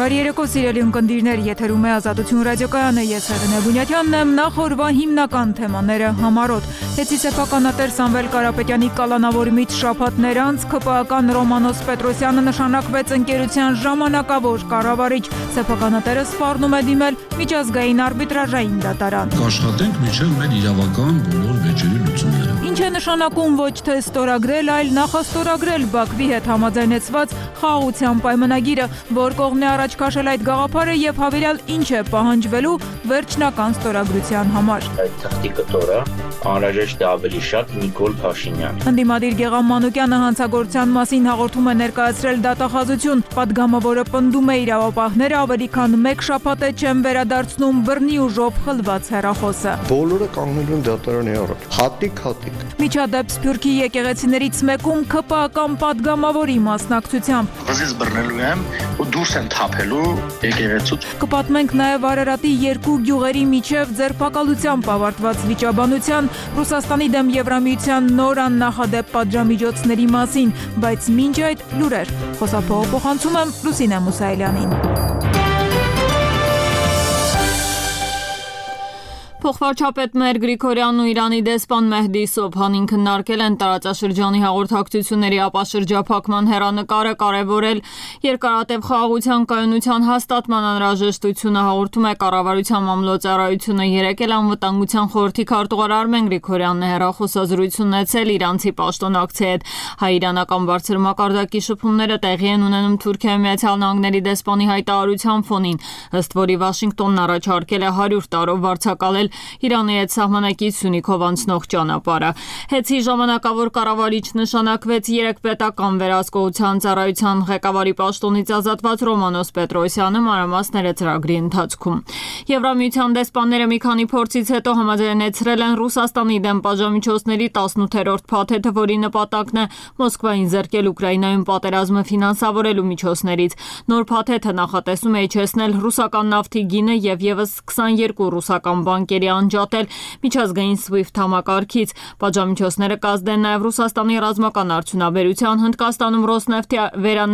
Բարի երեկո, սիրելի ունկնդիրներ, եթերում է Ազատություն ռադիոկայանը, ես Հեղինե Բունյաթյանն եմ, նախ օրվա հիմնական թեմաները համառոտ։ Հեծի սեփականատեր Սամվել Կարապետյանի կալանավորումից շաբաթներ անց ԿՊԱ-ական Ռոմանոս Պետրոսյանը նշանակվեց ընկերության ժամանակավոր կառավարիչ։ Սեփականատերը սպառնում է դիմել միջազգային արբիտրաժային դատարան։ Կաշխատենք մինչև մեր իրավական բոլոր վեճերի լուծումները։ Ինչ է նշանակում ոչ թե ստորագրել, այլ նախաստորագրել Բաքվի հետ համաձայնեցված խաղաղության պայմանագիրը, որ կողմն է առաջ քաշել այդ գաղափարը եւ հավելյալ ինչ է պահանջվելու վերջնական ստորագրության համար։ Այդ թղթի կտորը անհրաժեշտ է ավելի շատ Նիկոլ Փաշինյան։ Ընդդիմադիր Գեղամ Մանուկյանը հանցագործության մասին հաղորդում է ներկայացրել դատախազություն։ Պատգամավորը պնդում է իրավապահները ավելի քան մեկ շաբաթ է չեն վերադարձնում բռնի ուժով խլված հեռախոսը։ Բոլորը կանգնելու են դատարանի առաջ։ Հատիկ։ Միջադեպ Սփյուռքի եկեղեցիներից մեկում ԿՊԱ-ական պատգամավորի մասնակցությամբ։ Վզից բռնելու եմ ու դուրս են թափելու եկեղեցուց։ Կպատմենք նաև Արարատի երկու գյուղերի միջև ձերբակալությամբ ավարտված վիճաբանության, Ռուսաստանի դեմ Եվրամիության նոր աննախադեպ պատժամիջոցների մասին, բայց մինչ այդ լուրեր։ Խոսափողը փոխանցում եմ Լուսինե Մուսայելյանին։ Փոխվարչապետ Մեր Գրիգորյանն ու Իրանի դեսպան Մեհդի Սոբհանին քննարկել են տարածաշրջանի հաղորդակցությունների ապաշրջափակման հեռանկարը, կարևորել երկարատև խաղաղության կայունության հաստատման անհրաժեշտությունը, հաղորդում է կառավարության մամլոյցարայությունը։ Երեկ էլ անվտանգության խորհրդի քարտուղար Արմեն Գրիգորյանն է հեռախոսազրույց ունեցել իրանցի պաշտոնակցի հետ։ Հայ-իրանական բարձր մակարդակի շփումները տեղի են ունենում Թուրքիայի Միացյալ Նահանգների դեսպանի հայտարարության ֆոնին, ըստ որի Վաշինգտոնն առաջարկել է 100 տարով վարձակալել Իրանի հետ սահմանակից Սյունիքով անցնող ճանապարհը։ Հեծի ժամանակավոր կառավարիչ նշանակվեց 3 պետական վերահսկողության ծառայության ղեկավարի պաշտոնից ազատված Ռոմանոս Պետրոսյանը, մանրամասները ծրագրի ընթացքում։ Եվրամիության դեսպանները մի քանի փորձից հետո համաձայնեցրել են Ռուսաստանի դեմ պատժամիջոցների 18-րդ փաթեթը, որի նպատակն է Մոսկվային զրկել Ուկրաինայում պատերազմը ֆինանսավորելու միջոցներից։ Նոր փաթեթը նախատեսում է իջեցնել ռուսական նավթի գինը եւ եւս 22 ռուսական բանկերի անջատել միջազգային SWIFT համակարգից։ Պատժամիջոցները կազդեն նաև Ռուսաստանի ռազմական արդյունաբերության, Հնդկաստանում Ռոսնեֆտի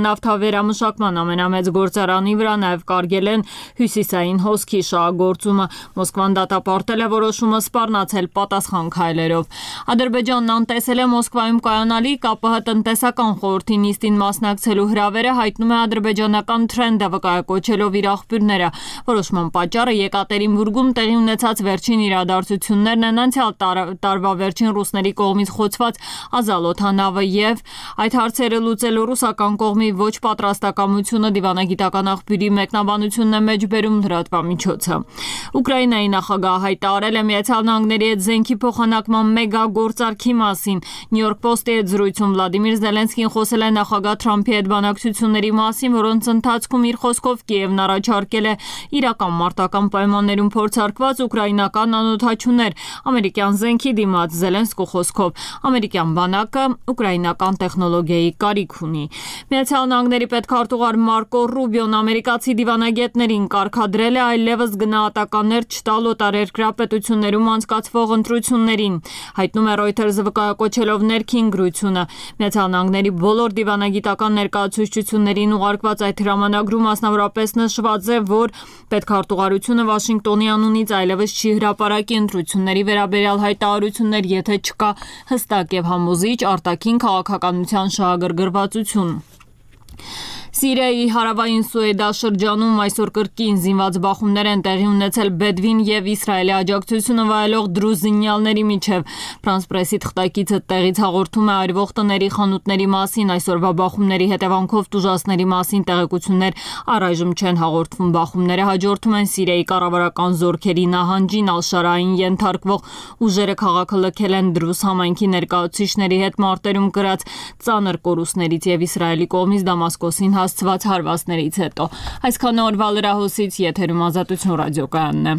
նավթավերամշակման ամենամեծ գործարանի վրա նաև կարգել են հյուսիսային հոսքի շահագործումը։ Մոսկվան դատապարտել է որոշումը սպառնացել պատասխան քայլերով։ Ադրբեջանն անտեսել է Մոսկվայում կայանալի ԿՊՀ տնտեսական խորհրդի նիստին մասնակցելու հրավերը, հայտնում է ադրբեջանական Թրենդը, վկայակոչելով իր աղբյուրները։ Որոշման պատճառը Եկատերինբուրգում տեղի ունեցած վերջին իրադարձություններն են, անցյալ տարվա վերջին ռուսների կողմից խոցված Ազալոթանավը եւ այդ հարցերը լուծելու ռուսական կողմի ոչ պատրաստակամությունը, դիվանագիտական աղբյուրի մեկնաբանությունն է մեջբերում լրատվամիջոցը։ Ուկրաինայի նախագահը հայտարարել է Միացյալ Նահանգների հետ զենքի փոխանակման մեգա գործարքի մասին։ New York Post-ի հետ զրույցում Վլադիմիր Զելենսկին խոսել է նախագահ Թրամփի հետ բանակցությունների մասին, որոնց ընթացքում իր խոսքով Կիևն առաջարկել է իրական մարտական պայմաններում փորձարկված ուկրաինական անօդաչուներ ամերիկյան զենքի դիմաց։ Զելենսկու խոսքով ամերիկյան բանակը ուկրաինական տեխնոլոգիայի կարիք ունի։ Միացյալ Նահանգների պետքարտուղար Մարկո Ռուբիոն ամերիկացի դիվանագետներին կարգադրել է այլևս գնահատականներ չտալ օտարերկրյա պետություններում անցկացվող ընտրություններին, հայտնում է Reuters-ը վկայակոչելով ներքին գրությունը։ Միացյալ Նահանգների բոլոր դիվանագիտական ներկայացուցչություններին ուղարկված այդ հրամանագրում մասնավորապես նշված է, որ պետքարտուղարությունը Վաշինգտոնի անունից այլևս չի հրապարակի ընտրությունների վերաբերյալ հայտարարություններ, եթե չկա հստակ եւ համոզիչ արտաքին քաղաքականության շահագրգռվածություն։ Սիրիայի հարավային Սուեդա շրջանում այսօր կրկին զինված բախումներ են տեղի ունեցել Բեդվին եւ Իսրայելի աջակցությունը վայելող դրուզ զինյալների միջև։ Ֆրանս պրեսի թղթակիցը տեղից հաղորդում է այրվող տների, խանութների մասին, այսօրվա բախումների հետևանքով տուժածների մասին տեղեկություններ առայժմ չեն հաղորդվում։ Բախումները հաջորդում են Սիրիայի կառավարական զորքերի նահանջին, Ալ-Շարային ենթարկվող ուժերը քաղաքը լքել են Դրուզ համայնքի ներկայացուցիչների հետ մարտերում կրած ծանր կորուստներից եւ Իսրայելի կողմից Դամասկոսին հասցված հարվածներից հետո։ Այսքան օրվա լրահոսից եթերում Ազատություն ռադիոկայանն է։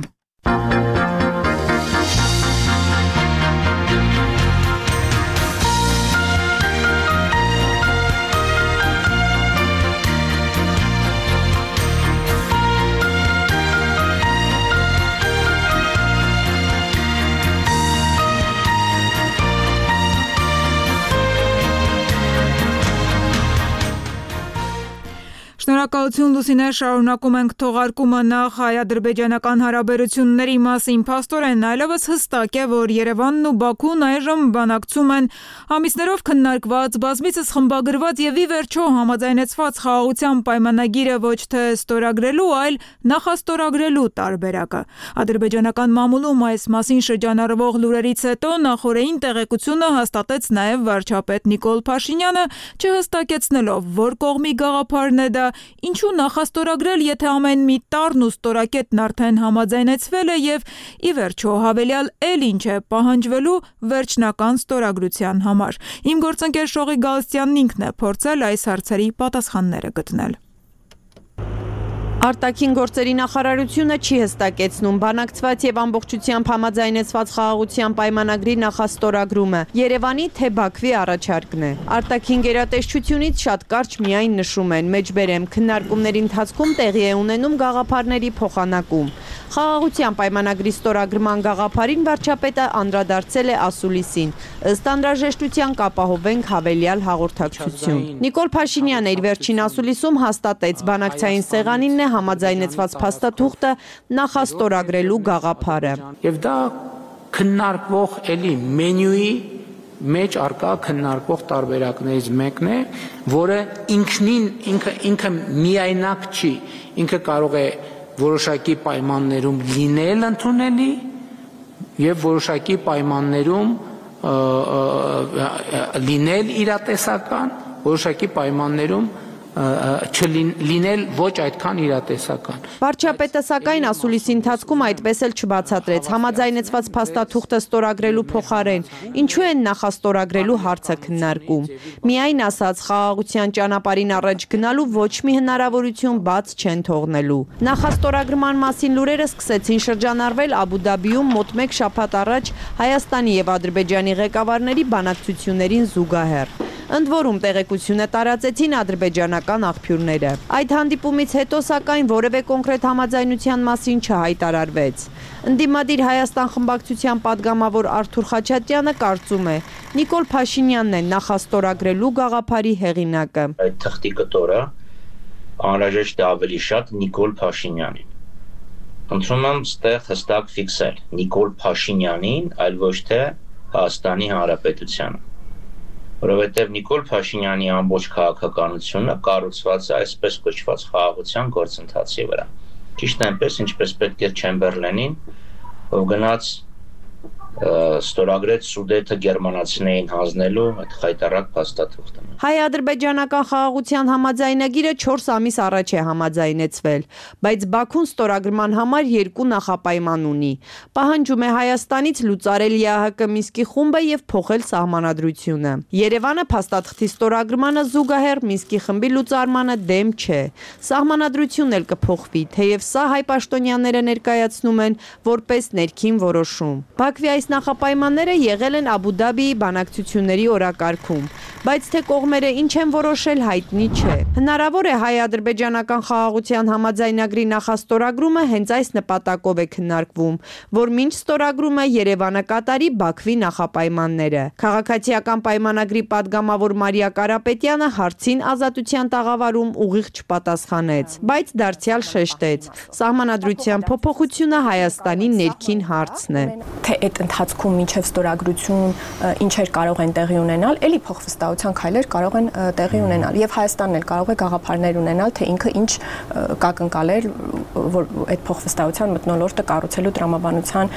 Շնորհակալություն Լուսինե, շարունակում ենք թողարկումը նախ հայ-ադրբեջանական հարաբերությունների մասին փաստորեն այլևս հստակ է, որ Երևանն ու Բաքուն այժմ բանակցում են ամիսներով քննարկված, բազմիցս խմբագրված եւ ի վերջո համաձայնեցված խաղաղության պայմանագիրը ոչ թե ստորագրելու, այլ նախաստորագրելու տարբերակը։ Ադրբեջանական մամուլում այս մասին շրջանառվող լուրերից հետո նախորդին տեղեկությունը հաստատեց նաեւ վարչապետ Նիկոլ Փաշինյանը, չհստակեցնելով որ կողմի գաղափարն է դա, ինչու նախաստորագրել, եթե ամեն մի տառն ու ստորակետն արդեն համաձայնեցվել է եւ ի վերջո հավելյալ էլ ինչ է պահանջվելու վերջնական ստորագրության համար։ Իմ գործընկեր Շողի Գալստյանն ինքն է փորձել այս հարցերի պատասխանները գտնել։ Արտաքին գործերի նախարարությունը չի հստակեցնում բանակցված եւ ամբողջությամբ համաձայնեցված խաղաղության պայմանագրի նախաստորագրումը Երևանի թե Բաքվի առաջարկն է։ Արտաքին գերատեսչությունից շատ կարճ միայն նշում են մեջբերեմ քննարկումների ընթացքում տեղի է ունենում գաղափարների փոխանակում։ Խաղաղության պայմանագրի ստորագրման գաղափարին վարչապետը անդրադարձել է ասուլիսին։ Ըստ անհրաժեշտության կապահովենք հավելյալ հաղորդակցություն։ Նիկոլ Փաշինյանը իր վերջին ասուլիսում հաստատեց բանակցային սեղանինն է համաձայնեցված փաստաթուղթը նախաստորագրելու գաղափարը։ Եվ դա քննարկվող էլի մենյուի մեջ արկա քննարկվող տարբերակներից մեկն է, որը ինքը միայնակ չի, ինքը կարող է որոշակի պայմաններում լինել ընդունելի եւ որոշակի պայմաններում լինել իրատեսական, որոշակի պայմաններում չլինել ոչ այդքան իրատեսական։ Վարչապետը սակայն ասուլիսի ընթացքում այդպես էլ չբացատրեց համաձայնեցված փաստաթուղթը ստորագրելու փոխարեն, ինչու են նախաստորագրելու հարցը քննարկում։ Միայն ասաց խաղաղության ճանապարհին առաջ գնալու ոչ մի հնարավորություն բաց չեն թողնելու։ Նախաստորագրման մասին լուրերը սկսեցին շրջանառվել Աբու Դաբիում մոտ 1 շաբաթ առաջ Հայաստանի եւ Ադրբեջանի ղեկավարների բանակցություններին զուգահեռ։ Ընդ որում տեղեկությունը տարածեցին ադրբեջանական աղբյուրները։ Այդ հանդիպումից հետո սակայն որևէ կոնկրետ համաձայնության մասին չհայտարարվեց։ Ընդդիմադիր Հայաստան խմբակցության падգամավոր Արթուր Խաչատրյանը կարծում է, Նիկոլ Փաշինյանն է նախաստորագրելու գաղափարի հեղինակը։ Այդ թղթի կտորը անհրաժեշտ է ավելի շատ Նիկոլ Փաշինյանին։ Խնդրում եմ ստեղ հստակ ֆիքսել Նիկոլ Փաշինյանին, այլ ոչ թե Հայաստանի Հանրապետությանը։ Որովհետև Նիկոլ Փաշինյանի ամբողջ քաղաքականությունը կառուցված է այսպես կոչված խաղաղության գործընթացի վրա։ Ճիշտ այնպես, ինչպես պետք է Չեմբերլենին, ով գնաց ստորագրեց Սուդետը գերմանացիներին հանձնելու այդ խայտառակ փաստաթուղթը։ Հայ-ադրբեջանական խաղաղության համաձայնագիրը 4 ամիս առաջ է համաձայնեցվել, բայց Բաքուն ստորագրման համար 2 նախապայման ունի։ Պահանջում է Հայաստանից լուծարել ԵԱՀԿ Մինսկի խումբը եւ փոխել սահմանադրությունը։ Երևանը փաստաթղթի ստորագրմանը զուգահեռ Մինսկի խմբի լուծարմանը դեմ չէ։ Սահմանադրությունն էլ կփոխվի, թեև սա հայ պաշտոնյաները ներկայացնում են որպես ներքին որոշում։ Բաքվի այս նախապայմանները եղել են Աբու Դաբիի բանակցությունների օրակարգում, բայց թե կողմերը ինչ են որոշել հայտնի չէ։ Հնարավոր է հայ-ադրբեջանական խաղաղության համաձայնագրի նախաստորագրումը հենց այս նպատակով է քննարկվում, որ մինչ ստորագրումը Երևանը կատարի Բաքվի նախապայմանները։ Քաղաքացիական պայմանագրի падգամավոր Մարիա Կարապետյանը հարցին Ազատության տաղավարում ուղիղ չպատասխանեց, բայց դարձյալ շեշտեց. Սահմանադրության փոփոխությունը Հայաստանի ներքին հարցն է։ Թե այդ ընթացքում մինչև ստորագրություն ինչեր կարող են տեղի ունենալ, էլի փոխվստահության քայլեր կարող են տեղի ունենալ եւ Հայաստանն էլ կարող է գաղափարներ ունենալ, թե ինքը ինչ կակնկալեր, որ այդ փոխվստահության մթնոլորտը կառուցելու տրամաբանության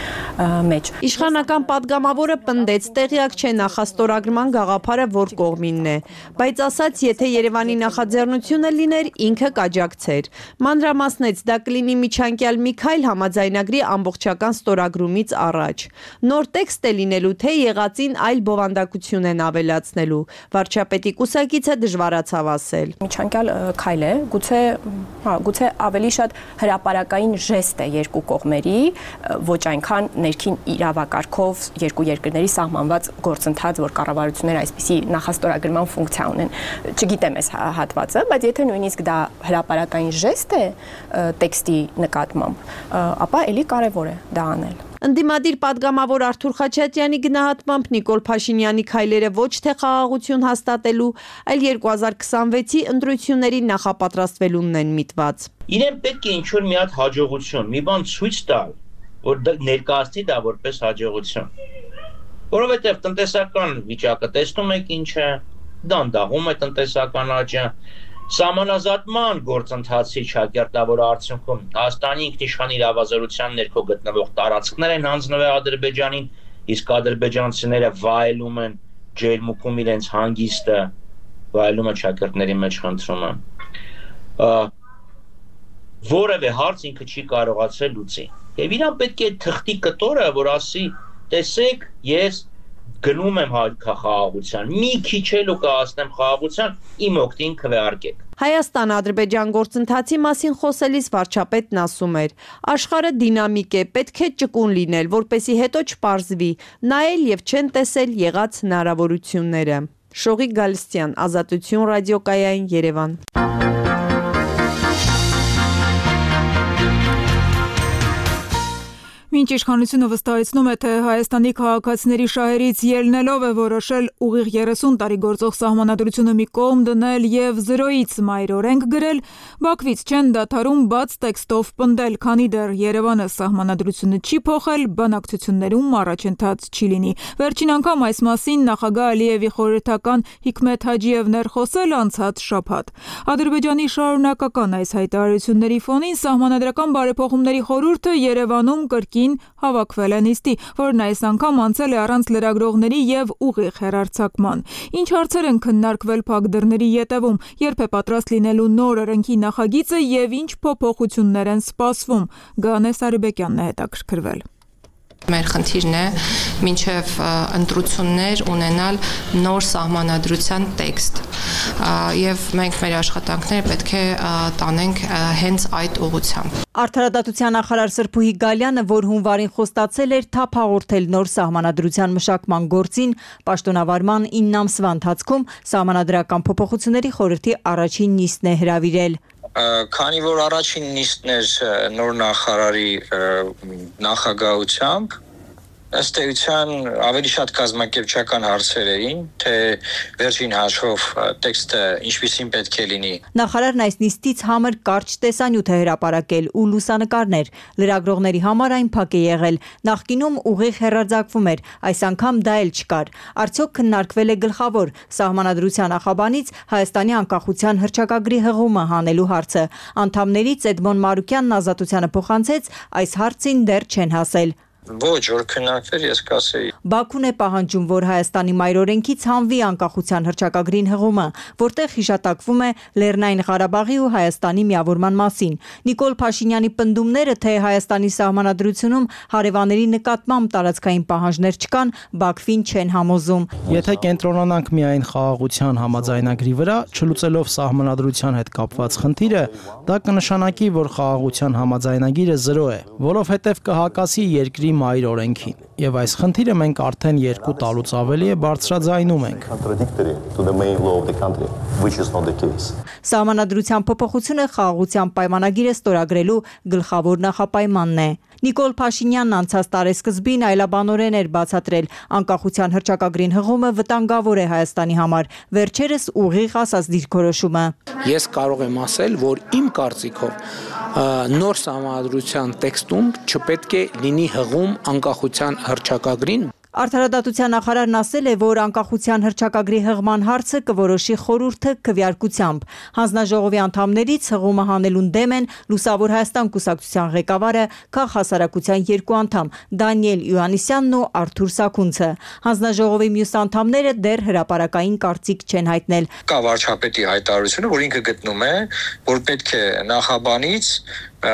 մեջ։ Իշխանական падգամավորը պնդեց, տեղյակ չէ նախաստորագրման գաղափարը որ կողմինն է, բայց ասաց, եթե Երևանի նախաձեռնությունը լիներ, ինքը կաջակցեր։ Մանրամասնեց, դա կլինի միջանկյալ մի քայլ համաձայնագրի ամբողջական ստորագրումից առաջ։ Նոր տեքստ է լինելու, թե եղածին այլ բովանդակություն են ավելացնելու։ Վարչապետի կուսակիցը դժվարացավ ասել։ Միջանկյալ քայլ է, գուցե ավելի շատ հրապարակային ժեստ է երկու կողմերի, ոչ այնքան ներքին իրավակարգով երկու երկրների սահմանված գործընթաց, որ կառավարությունները այսպիսի նախաստորագրման ֆունկցիա ունեն։ Չգիտեմ այս հատվածը, բայց եթե նույնիսկ դա հրապարակային ժեստ է տեքստի նկատմամբ, ապա էլի կարևոր է դա անել։ Ընդդիմադիր падգամավոր Արթուր Խաչատյանի գնահատմամբ Նիկոլ Փաշինյանի քայլերը ոչ թե խաղաղություն հաստատելու, այլ 2026-ի ընտրություններին նախապատրաստվելունն են միտված։ Իրեն պետք է ինչ-որ մի հատ հաջողություն, մի բան ցույց տալ, որ ներկայացնի դա որպես հաջողություն։ Որովհետև տնտեսական վիճակը տեսնում եք ինչ է, դանդաղում է տնտեսական աճը, Սահմանազատման գործընթացի ճակերտավոր արդյունքում Հայաստանի ինքնիշխան իրավազորության ներքո գտնվող տարածքներ են հանձնվել Ադրբեջանին, իսկ ադրբեջանցիները վայելում են ջերմուկում իրենց հանգիստը, վայելում են ճակերտների մեջ խնդրումը։ Որևէ հարց ինքը չի կարողացել լուծի։ Եվ իրան պետք է թղթի կտորը, որ ասի, տեսեք, ես գնում եմ խաղաղության, մի քիչ էլ ու կհասնեմ խաղաղության, իմ օգտին քվեարկեք։ Հայաստան-Ադրբեջան գործընթացի մասին խոսելիս վարչապետն ասում էր. աշխարհը դինամիկ է, պետք է ճկուն լինել, որպեսզի հետո չպարզվի, նայել եւ չեն տեսել եղած հնարավորությունները։ Շողիկ Գալստյան, Ազատություն ռադիոկայան, Երևան։ Մինչ իշխանությունը վստահեցնում է, թե Հայաստանի քաղաքացիների շահերից ելնելով է որոշել ուղիղ 30 տարի գործող սահմանադրությունը մի կողմ դնել եւ 0-ից մայր օրենք գրել, Բաքվից չեն դադարում բաց տեքստով պնդել, քանի դեռ Երևանը սահմանադրությունը չի փոխել, բանակցություններում առաջընթաց չի լինի։ Վերջին անգամ այս մասին նախագահ Ալիևի խորհրդական Հիկմեթ Հաջիևն էր խոսել անցած շաբաթ։ Ադրբեջանի շարունակական այս հայտարարությունների ֆոնին Սահմանադրական բարեփոխումների խորհուրդը Երևանում կրկին հավաքվել է նիստի, որն այս անգամ անցել է առանց լրագրողների եւ ուղիղ հեռարձակման։ Ինչ հարցեր են քննարկվել փակ դռների ետևում, երբ է պատրաստ լինելու նոր օրենքի նախագիծը եւ ինչ փոփոխություններ են սպասվում։ Գանե Սարիբեկյանն է հետաքրքրվել։ Մեր խնդիրն է մինչև ընտրություններ ունենալ նոր սահմանադրության տեքստ եւ մենք մեր աշխատանքները պետք է տանենք հենց այդ ուղղությամբ։ Արդարադատության նախարար Սրփուհի Գալյանը, որ հունվարին խոստացել էր թափ հաղորդել նոր սահմանադրության մշակման գործին, պաշտոնավարման 9 ամսվա ընթացքում սահմանադրական փոփոխությունների խորհրդի առաջին նիստն է հրավիրել։ Քանի որ առաջին նիստն էր նոր նախարարի նախագահությամբ, ըստ էության ավելի շատ կազմակերպչական հարցեր էին, թե վերջին հաշվով տեքստը ինչպիսին պետք է լինի։ Նախարարն այս նիստից համր կարճ տեսանյութ է հրապարակել ու լուսանկարներ, լրագրողների համար այն փակ է եղել, նախկինում ուղիղ հեռարձակվում էր, այս անգամ դա էլ չկար։ Արդյոք քննարկվել է գլխավոր սահմանադրության նախաբանից Հայաստանի անկախության հռչակագրի հղումը հանելու հարցը։ Անդամներից Էդմոն Մարուկյանն Ազատությանը փոխանցեց, այս հարցին դեռ չեն հասել։ Ոչ, որ քննարկվեր, ես կասեի։ Բաքուն է պահանջում, որ Հայաստանի մայրօրենքից հանվի անկախության հռչակագրին հղումը, որտեղ հիշատակվում է Լեռնային Ղարաբաղի ու Հայաստանի միավորման մասին։ Նիկոլ Փաշինյանի պնդումները, թե Հայաստանի սահմանադրությունում հարևանների նկատմամբ տարածքային պահանջներ չկան, Բաքվին չեն համոզում։ Եթե կենտրոնանանք միայն խաղաղության համաձայնագրի վրա, չլուծելով սահմանադրության հետ կապված խնդիրը, դա կնշանակի, որ խաղաղության համաձայնագիրը 0 է, որովհետև կհակասի երկրի մայր օրենքին, եւ այս խնդիրը մենք արդեն 2 տարուց ավելի է բարձրաձայնում ենք։ Սահմանադրության փոփոխությունը խաղաղության պայմանագիրը ստորագրելու գլխավոր նախապայմանն է։ Նիկոլ Փաշինյանն անցած տարեսկզբին այլաբանորեն էր բացատրել, անկախության հռչակագրին հղումը վտանգավոր է Հայաստանի համար, վերջերս ուղիղ ասաց դիրքորոշումը։ Ես կարող եմ ասել, որ իմ կարծիքով նոր սահմանադրության տեքստում չպետք է լինի հղում անկախության հռչակագրին։ Արդարադատության նախարարն ասել է, որ անկախության հռչակագրի հղման հարցը կորոշի խորհուրդը քվեարկությամբ։ Հանձնաժողովի անդամներից հղումը հանելուն դեմ են Լուսավոր Հայաստան կուսակցության ղեկավարը, քաղաքահասարակության 2 անդամ Դանիել Իոաննիսյանն ու Արթուր Սաքունցը։ Հանձնաժողովի մյուս անդամները դեռ հրապարակային կարծիք չեն հայտնել։ Կա վարչապետի հայտարարությունը, որ ինքը գտնում է, որ պետք է նախաբանից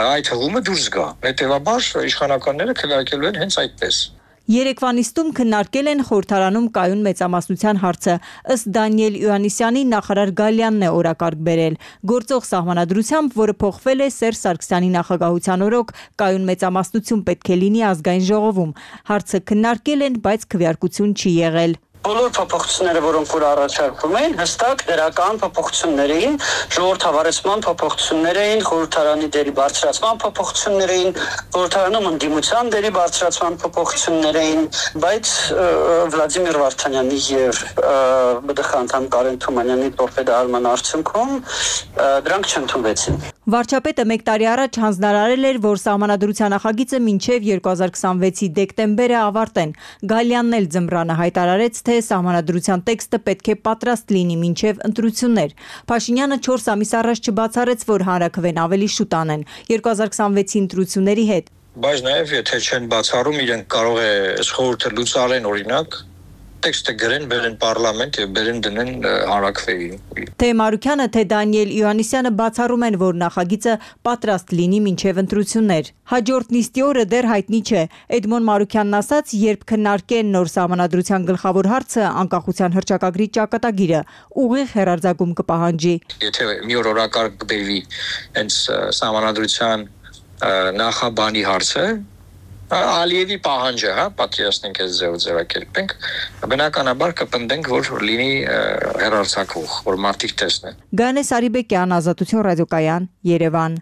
այդ հղումը դուրս գա։ Հետևաբար իշխանականները քվեարկելու են հենց այդպես։ Երեկվա նիստում քննարկել են խորհրդարանում կայուն մեծամասնության հարցը։ Ըստ Դանիել Իոաննիսյանի նախարար Գալյանն է օրակարգ բերել։ Գործող սահմանադրությամբ, որը փոխվել է Սերժ Սարգսյանի նախագահության օրոք, կայուն մեծամասնություն պետք է լինի ազգային ժողովում։ Հարցը քննարկել են, բայց քվեարկություն չի եղել։ բոլոր փոփոխությունները, որոնք որ առաջարկվում էին, հստակ դրական փոփոխություններ էին, ժողովրդավարեցման փոփոխություններ էին, խորհրդարանի դերի բարձրացման փոփոխություններ էին, խորհրդարանում ընդդիմության դերի բարձրացման փոփոխություններ էին, բայց Վլադիմիր Վարդանյանի եւ ԲԴԽ անդամ Կարեն Թումանյանի տորպեդահարման արդյունքում դրանք չընդունվեցին։ Վարչապետը 1 տարի առաջ հանձնարարել էր, որ սահմանադրության նախագիծը մինչև 2026-ի դեկտեմբերը ավարտեն։ Գալյանն էլ ձմռանը հայտարարեց, թե սահմանադրության տեքստը պետք է պատրաստ լինի մինչև ընտրություններ։ Փաշինյանը 4 ամիս առաջ չբացառեց, որ հանրաքվեն ավելի շուտ անեն 2026-ի ընտրությունների հետ։ Բայց նաև եթե չեն բացառում, իրենք կարող է խորհուրդը լուծարեն օրինակ տեքստը գրեն, բերեն պարլամենտ եւ բերեն դնեն հանրաքվեի։ Թե Մարուկյանը, թե Դանիել Իոաննիսյանը բացառում են, որ նախագիծը պատրաստ լինի մինչև ընտրություններ։ Հաջորդ նիստի օրը դեռ հայտնի չէ։ Էդմոն Մարուկյանն ասաց, երբ քննարկեն նոր սահմանադրության գլխավոր հարցը անկախության հռչակագրի ճակատագիրը, ուղիղ հեռարձակում կպահանջի։ Եթե մի օր օրակարգ կբերվի հենց սահմանադրության նախաբանի հարցը, Ալիևի պահանջը, պատկերացնենք այս ձևակերպենք, բնականաբար կպնդենք, որ լինի հեռարձակվող, որ մարդիկ տեսնեն։ Գանե Սարիբեկյան, Ազատություն ռադիոկայան, Երևան։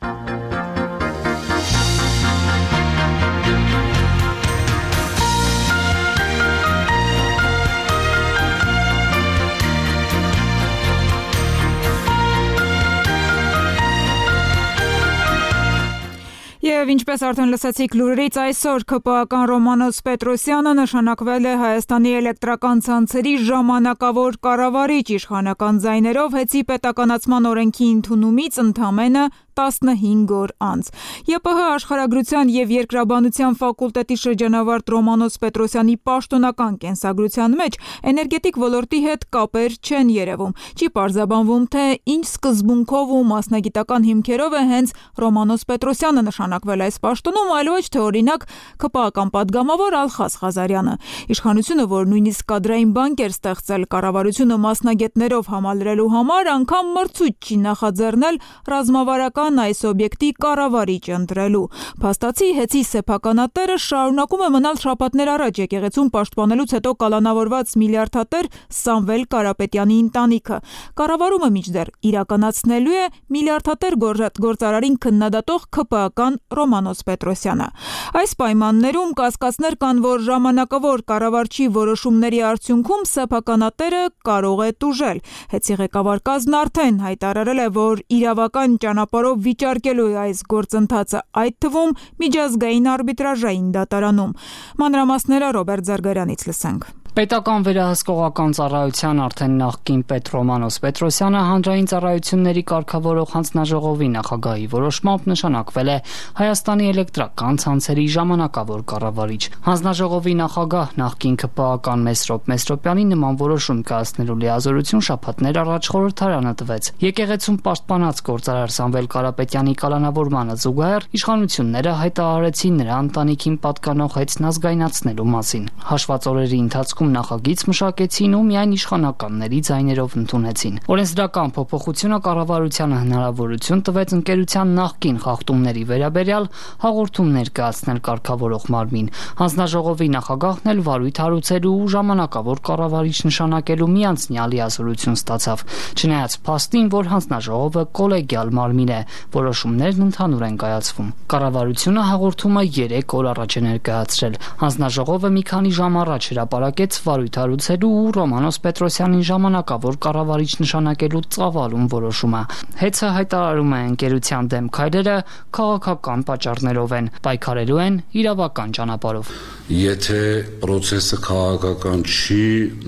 Եվ ինչպես արդեն լսեցիք լուրերից, այսօր ԿՊԱ-ական Ռոմանոս Պետրոսյանը նշանակվել է Հայաստանի էլեկտրական ցանցերի ժամանակավոր կառավարիչ իշխանական ձայներով հեծի պետականացման օրենքի ընդունումից ընդամենը 15 օր անց։ ԵՊՀ աշխարհագրության եւ երկրաբանության ֆակուլտետի շրջանավարտ Ռոմանոս Պետրոսյանի պաշտոնական կենսագրության մեջ էներգետիկ ոլորտի հետ կապեր չեն երևում։ Չի պարզաբանվում, թե ինչ սկզբունքով ու մասնագիտական հիմքերով է հենց Ռոմանոս Պետրոսյանը նշանակվել այս պաշտոնում, այլ ոչ թե օրինակ ԿՊԱ-ական падգամավոր Ալխաս Ղազարյանը։ Իշխանությունը, որ նույնիսկ կադրային բանկ էր ստեղծել կառավարությունը մասնագետներով համալրելու համար, անգամ մրցույթ չի նախաձեռնել ռազմավարական այս օբյեկտի կառավարիչ ընտրելու։ Փաստացի հեծի սեփականատերը շարունակում է մնալ շաբաթներ առաջ եկեղեցուն պաշտպանելուց հետո կալանավորված միլիարդատեր Սամվել Կարապետյանի ընտանիքը։ Կառավարումը մինչդեռ իրականացնելու է միլիարդատեր գործարարին քննադատող ԿՊԱ-ական Ռոմանոս Պետրոսյանը։ Այս պայմաններում կասկածներ կան, որ ժամանակավոր կառավարչի որոշումների արդյունքում սեփականատերը կարող է տուժել։ Հեծի ղեկավար կազմն արդեն հայտարարել է, որ իրավական ճանապարհով վիճարկելու է այս գործընթացը, այդ թվում միջազգային արբիտրաժային դատարանում։ Մանրամասները Ռոբերտ Զարգարյանից լսենք։ Պետական վերահսկողական ծառայության արդեն նախկին պետ Ռոմանոս Պետրոսյանը հանրային ծառայությունների կարգավորող հանձնաժողովի նախագահի որոշմամբ նշանակվել է Հայաստանի էլեկտրական ցանցերի ժամանակավոր կառավարիչ։ Հանձնաժողովի նախագահ նախկին ԿՊԱ-ական Մեսրոպ Մեսրոպյանի նման որոշում կայացնելու լիազորություն շաբաթներ առաջ խորհրդարանը տվեց։ Եկեղեցում պաշտպանած գործարար Սամվել Կարապետյանի կալանավորմանը զուգահեռ իշխանությունները հայտարարեցին նրա ընտանիքին պատկանող հեծն ազգայնացնելու մասին։ Հաշված օրերի ընթացքում նախագիծ մշակեցին ու միայն իշխանականների ձայներով ընդունեցին։ Օրենսդրական փոփոխությունը կառավարությանը հնարավորություն տվեց ընկերության նախկին խախտումների վերաբերյալ հաղորդումներ կայացնել կարգավորող մարմին։ Հանձնաժողովի նախագահն էլ վարույթ հարուցելու ու ժամանակավոր կառավարիչ նշանակելու միանձնյալ լիազորություն ստացավ։ Չնայած փաստին, որ հանձնաժողովը կոլեգիալ մարմին է, որոշումներն ընդհանուր են կայացվում։ Կառավարությունը հաղորդումը 3 օր առաջ է ներկայացրել։ Հանձնաժողովը մի քանի ժամ առաջ հրապարակեց վարույթ հարուցելու ու Ռոմանոս Պետրոսյանին ժամանակավոր կառավարիչ նշանակելու ծավալուն որոշումը։ Հեծը հայտարարում է ընկերության դեմ քայլերը քաղաքական պատճառներով են, պայքարելու են իրավական ճանապարհով։ Եթե process-ը քաղաքական չի,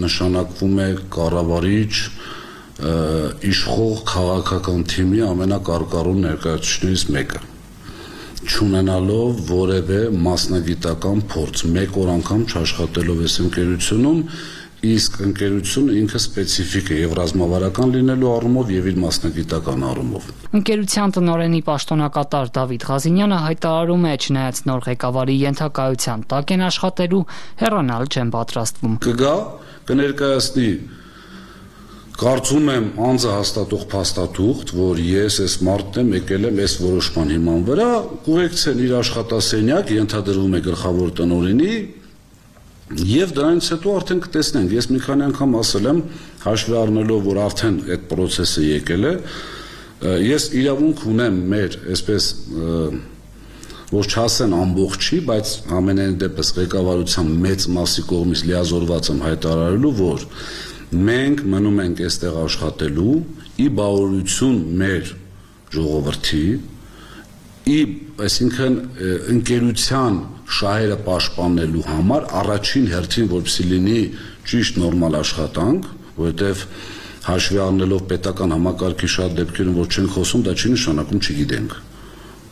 նշանակվում է կառավարիչ իշխող քաղաքական թիմի ամենակարկառուն ներկայացուցիչներից մեկը, չունենալով որևէ մասնագիտական փորձ, մեկ օր անգամ չաշխատելով այս ընկերությունում, իսկ ընկերությունը ինքը սպეციფիկ է եւ ռազմավարական լինելու առումով եւ իր մասնագիտական առումով։ Ընկերության տնօրենի պաշտոնակատար Դավիթ Ղազինյանը հայտարարում է, չնայած նոր ղեկավարի ենթակայության տակ են աշխատելու, հեռանալ չեն պատրաստվում։ Կգա, կներկայացնի Կարծում եմ անձը հաստատող փաստաթուղթ, որ ես այս մարդն եմ եկել եմ այս որոշման հիման վրա, կուղեկցեն իր աշխատասենյակ, ենթադրվում է գլխավոր տնօրենի, Եվ դրանից հետո արդեն կտեսնենք, ես մի քանի անգամ ասել եմ, հաշվի առնելով, որ արդեն այդ process-ը եկել է, ես իրավունք ունեմ մեր, այսպես որ չասեն ամբողջի, բայց ամենայն դեպս ղեկավարության մեծ մասի կողմից լիազորված եմ հայտարարելու, որ մենք մնում ենք այստեղ աշխատելու ի բավարարություն մեր ժողովրդի, այսինքն ընկերության շահերը պաշտպանելու համար առաջին հերթին որպեսզի լինի ճիշտ նորմալ աշխատանք, որովհետև հաշվի առնելով պետական համակարգի շատ դեպքերում որ չեն խոսում, դա չի նշանակում չգիտենք։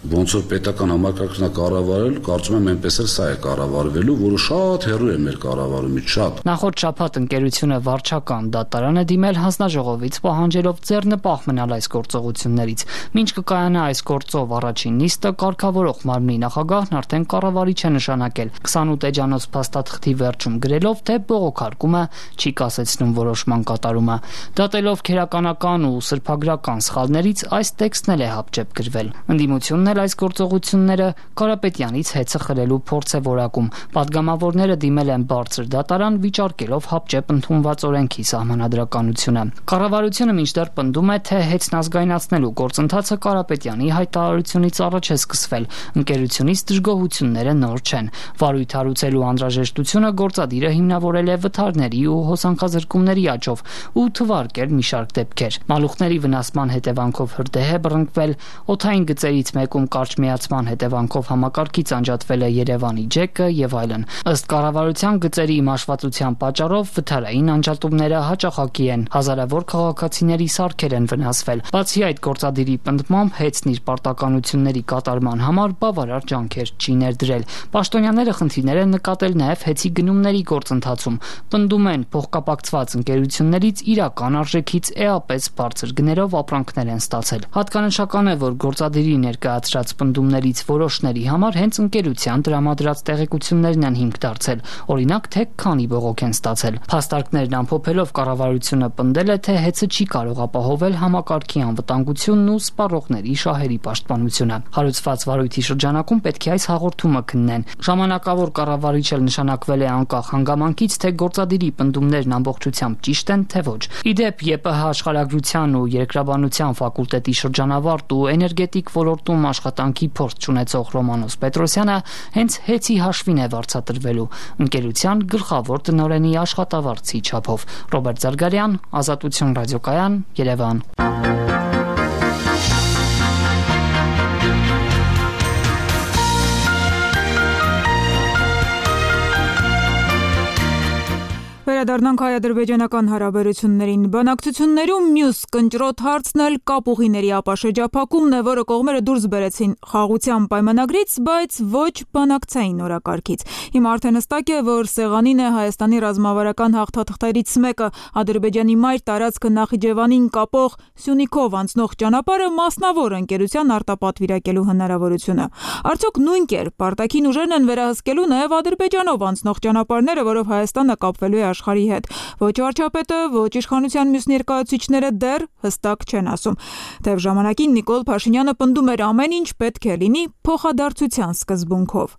Ոնց որ պետական համակարգն է կառավարել, կարծում եմ այնպես էլ սա է կառավարվելու, որը շատ հեռու է մեր կառավարումից, շատ։ Նախորդ շաբաթ ընկերությունը վարչական դատարան է դիմել հանձնաժողովից պահանջելով ձեռնպահ մնալ այս գործողություններից։ Մինչ կկայանա այս գործով առաջին նիստը, կարգավորող մարմնի նախագահն արդեն կառավարիչ է նշանակել 28 էջանոց փաստաթղթի վերջում գրելով, թե բողոքարկումը չի կասեցնում որոշման կատարումը։ Դատելով քերականական ու սրբագրական սխալներից այս տեքստն էլ է հապճեպ գրվել։ Ընդդիմությունն այս գործողությունները Կարապետյանից հեծը խլելու փորձ է որակում։ Պատգամավորները դիմել են բարձր դատարան վիճարկելով հապճեպ ընդունված օրենքի սահմանադրականությունը։ Կառավարությունը մինչդեռ պնդում է, թե հեծն ազգայնացնելու գործընթացը Կարապետյանի հայտարարությունից առաջ է սկսվել։ Ընկերությունից դժգոհությունները նոր չեն։ Վարույթ հարուցելու անհրաժեշտությունը գործադիրը հիմնավորել է վթարների ու հոսանքազրկումների աճով ու թվարկել մի շարք դեպքեր։ Մալուխների վնասման հետևանքով հրդեհ է բռնկվել, օդային գծերից մեկում կարճ միացման հետևանքով համակարգից անջատվել է Երևանի ջեկը եւ այլն։ Ըստ կառավարության գծերի մաշվածության պատճառով վթարային անջատումները հաճախակի են, հազարավոր քաղաքացիների սարքեր են վնասվել։ Բացի այդ, գործադիրի պնդմամբ հեծն իր պարտականությունների կատարման համար բավարար ջանքեր չի ներդրել։ Պաշտոնյաները խնդիրներ են նկատել նաեւ հեծի գնումների գործընթացում։ Պնդում են, փոխկապակցված ընկերություններից իրական արժեքից էապես բարձր գներով ապրանքներ են ստացել։ Հատկանշական է, որ գործադիրի ներկայացրած պնդումներից որոշների համար հենց ընկերության տրամադրած տեղեկություններն են հիմք դարձել, օրինակ թե քանի բողոք են ստացել։ Փաստարկներն ամփոփելով կառավարությունը պնդել է, թե հեծը չի կարող ապահովել համակարգի անվտանգությունն ու սպառողների շահերի պաշտպանությունը։ Հարուցված վարույթի շրջանակում պետք է այս հաղորդումը քննեն։ Ժամանակավոր կառավարիչ էլ նշանակվել է անկախ հանգամանքից, թե գործադիրի պնդումներն ամբողջությամբ ճիշտ են, թե ոչ։ Իդեպ ԵՊՀ աշխարհագրության ու երկրաբանության ֆակուլտետի շրջանավարտ ու էներգետիկ ոլորտում աշխատանքի փորձ ունեցող Ռոմանոս Պետրոսյանը հենց հեծի հաշվին է վարձատրվելու ընկերության գլխավոր տնօրենի աշխատավարձի չափով։ Ռոբերտ Զարգարյան, Ազատություն ռադիոկայան, Երևան։ Վերադառնանք հայ-ադրբեջանական հարաբերություններին։ Բանակցություններում մյուս կնճռոտ հարցն էլ կապուղիների ապաշրջափակումն է, որը կողմերը դուրս բերեցին խաղաղության պայմանագրից, բայց ոչ բանակցային օրակարգից։ Հիմա արդեն հստակ է, որ սեղանին է Հայաստանի ռազմավարական հաղթաթղթերից մեկը՝ Ադրբեջանի մայր տարածքը Նախիջևանին կապող Սյունիքով անցնող ճանապարհը մասնավոր ընկերության արտապատվիրակելու հնարավորությունը։ Արդյոք նույն կերպ արտաքին ուժերն են վերահսկելու նաև Ադրբեջանով անցնող ճանապարհները, որով Հայաստանը կապվելու է աշխարհի հետ։ Ոչ վարչապետը, ոչ իշխանության մյուս ներկայացուցիչները դեռ հստակ չեն ասում։ Թեև ժամանակին Նիկոլ Փաշինյանը պնդում էր ամեն ինչ պետք է լինի փոխադարձության սկզբունքով։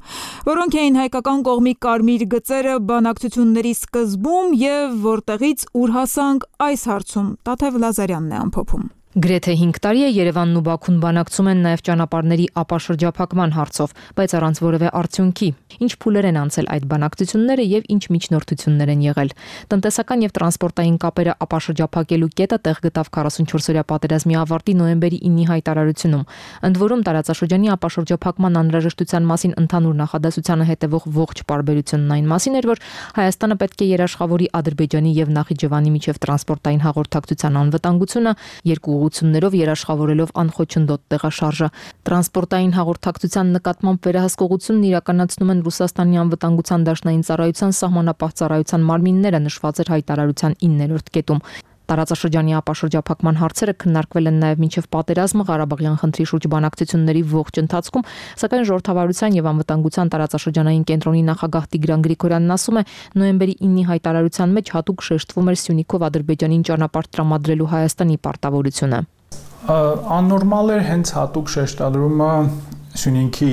Որոնք էին հայկական կողմի կարմիր գծերը բանակցությունների սկզբում եւ որտեղից ուր հասանք այս հարցում Տաթև Լազարյանն է ամփոփում։ Գրեթե 5 տարի է Երևանն ու Բաքուն բանակցում են նաև ճանապարհների ապաշրջափակման հարցով, բայց առանց որևէ արդյունքի։ Ինչ փուլեր են անցել այդ բանակցությունները եւ ինչ միջնորդություններ են եղել։ Տնտեսական եւ տրանսպորտային կապերը ապաշրջափակելու կետը տեղ գտավ 44-օրյա պատերազմի ավարտի նոյեմբերի 9-ի հայտարարությունում։ Ընդ որում տարածաշրջանի ապաշրջափակման անհրաժեշտության մասին ընդհանուր նախադասությանը հետևող ողջ պարբերությունն այն մասին էր, որ Հայաստանը պետք է երաշխավորի Ադրբեջանի եւ Նախիջևանի միջև տրանսպորտային հաղորդակցության անվտանգությունը երկու ուղղություններով երաշխավորելով անխոչնդոտ տեղաշարժը։ Տրանսպորտային հաղորդակցության նկատմամբ վերահսկողությունն իրականացնում են Ռուսաստանի անվտանգության դաշնային ծառայության սահմանապահ ծառայության մարմինները, նշված էր հայտարարության 9-րդ կետում։ Տարածաշրջանի ապաշրջափակման հարցերը քննարկվել են նաև մինչև պատերազմը Ղարաբաղյան խնդրի շուրջ բանակցությունների ողջ ընթացքում, սակայն ժողովրդավարության եւ անվտանգության տարածաշրջանային կենտրոնի նախագահ Տիգրան Գրիգորյանն ասում է, նոյեմբերի 9-ի հայտարարության մեջ հատուկ շեշտվում էր Սյունիքով Ադրբեջանին ճանապարհ տրամադրելու Հայաստանի պարտավորությունը։ Աննորմալ էր հենց հատուկ շեշտադրումը Սյունիքի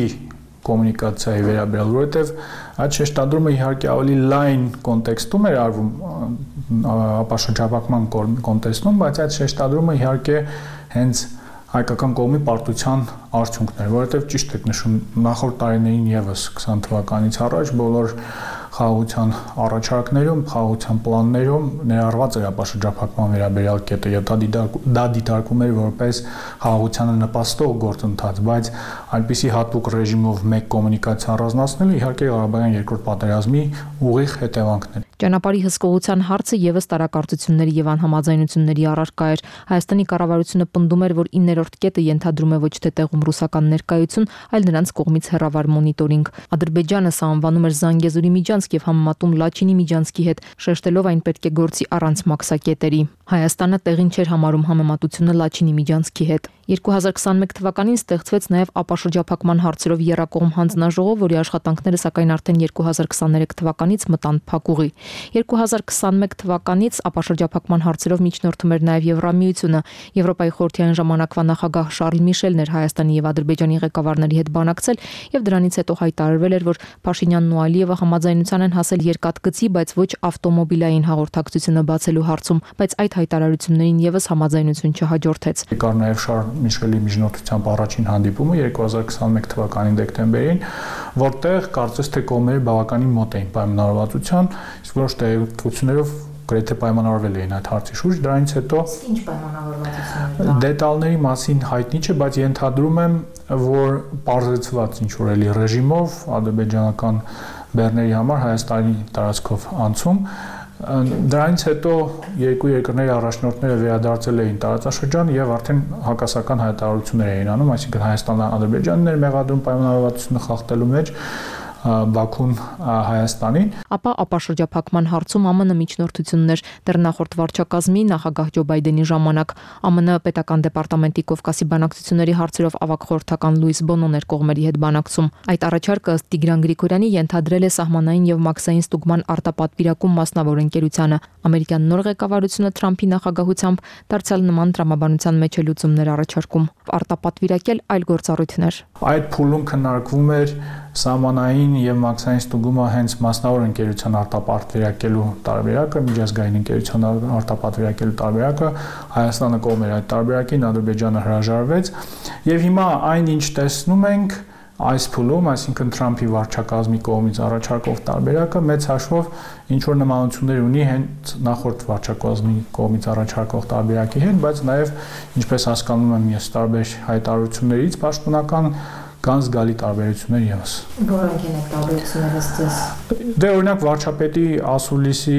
կոմունիկացիայի վերաբերյալ, որովհետև այդ շեշտադրումը իհարկե ավելի լայն կոնտեքստում էր արվում ապաշրջապակման կոնտեքստում, բայց այդ շեշտադրումը իհարկե հենց հայկական կողմի պարտության արդյունքն էր, որովհետև ճիշտ եք նշում, նախորդ տարիներին եւս 20 թվականից առաջ բոլոր խաղաղության առաջարկներում, խաղաղության պլաններում ներառված էր ապաշրջափակման վերաբերյալ կետը, եւ դա դիտարկվում էր որպես խաղաղությանը նպաստող գործընթաց, բայց այնպիսի հատուկ ռեժիմով մեկ կոմունիկացիա առանձնացնելը իհարկե Ղարաբաղյան երկրորդ պատերազմի ուղիղ հետևանքն էր։ Ճանապարհի հսկողության հարցը եւս տարակարծությունների եւ անհամաձայնությունների առարկա էր։ Հայաստանի կառավարությունը պնդում էր, որ 9-րդ կետը ենթադրում է ոչ թե տեղում ռուսական ներկայություն, այլ նրանց կողմից հեռավար մոնիտորինգ։ Ադրբեջանը սա անվանում էր Զանգեզուրի միջանցք եւ համեմատում Լաչինի միջանցքի հետ, շեշտելով այն պետք է գործի առանց մաքսակետերի։ Հայաստանը տեղին չէր համարում համեմատությունը Լաչինի միջանցքի հետ։ 2021 թվականին ստեղծվեց նաև ապաշրջափակման հարցերով եռակողմ հանձնաժողով, որի աշխատանքները սակայն արդեն 2023 թվականից մտան փակուղի։ 2021 թվականից ապաշրջափակման հարցերով միջնորդում էր նաև Եվրամիությունը։ Եվրոպայի խորհրդային ժամանակվա նախագահ Շարլ Միշելն էր Հայաստանի եւ Ադրբեջանի ղեկավարների հետ բանակցել եւ դրանից հետո հայտարարվել էր, որ Փաշինյանն ու Ալիևը համաձայնության են հասել երկաթգծի, բայց ոչ ավտոմոբիլային հաղորդակցությունը բացելու հարցում, բայց այդ հայտարարություններին եւս համաձայնություն չհաջորդեց։ Կար նաև Շարլ Միշելի միջնորդությամբ առաջին հանդիպումը 2021 թվականի դեկտեմբերին, որտեղ կարծես թե կողմերը բավականին մոտ էին պայմանավորվածության, իսկ որոշ տեղեկություններով գրեթե պայմանավորվել էին այդ հարցի շուրջ, դրանից հետո ինչ պայմանավորվածություններ։ Դետալների մասին հայտնի չէ, բայց ենթադրում եմ, որ պարզեցված ինչ որ էլի ռեժիմով ադրբեջանական բեռների համար Հայաստանի տարածքով անցում։ Դրանից հետո երկու երկրների առաջնորդները վերադարձել էին տարածաշրջան եւ արդեն հակասական հայտարարություններ էին անում, այսինքն Հայաստանը Ադրբեջանն էր մեղադրում պայմանավորվածությունը խախտելու մեջ, Բաքուն Հայաստանին։ Ապա ապաշրջափակման հարցում ԱՄՆ միջնորդություններ դեռ նախորդ վարչակազմի նախագահ Ջո Բայդենի ժամանակ ԱՄՆ պետական դեպարտամենտի Կովկասի բանակցությունների հարցերով ավագ խորհրդական Լուիս Բոնոն էր կողմերի հետ բանակցում։ Այդ առաջարկը ըստ Տիգրան Գրիգորյանի ենթադրել է սահմանային եւ մաքսային ստուգման արտապատվիրակում մասնավոր ընկերությանը։ Ամերիկյան նոր ղեկավարությունը Թրամփի նախագահությամբ դարձյալ նման տրամաբանության մեջ է լուծումներ առաջարկում։ Արտապատվիրակել այլ գործառույթներ։ Այդ փուլում քննարկվում էր սահմանային եւ մաքսային ստուգումը հենց մասնավոր ընկերության արտապատվիրակելու տարբերակը, միջազգային ընկերության արտապատվիրակելու տարբերակը, Հայաստանը կողմ էր այդ տարբերակին, Ադրբեջանը հրաժարվեց եւ հիմա այն ինչ տեսնում ենք այս փուլում, այսինքն Թրամփի վարչակազմի կողմից առաջարկող տարբերակը մեծ հաշվով ինչ որ նմանություններ ունի հենց նախորդ վարչակազմի կողմից առաջարկող տարբերակի հետ, բայց նաեւ ինչպես հասկանում եմ ես տարբեր հայտարարություններից պաշտոնական կան զգալի տարբերություններ եւս։ Որոնք են այդ տարբերությունները ըստ։ Դե օրինակ վարչապետի ասուլիսի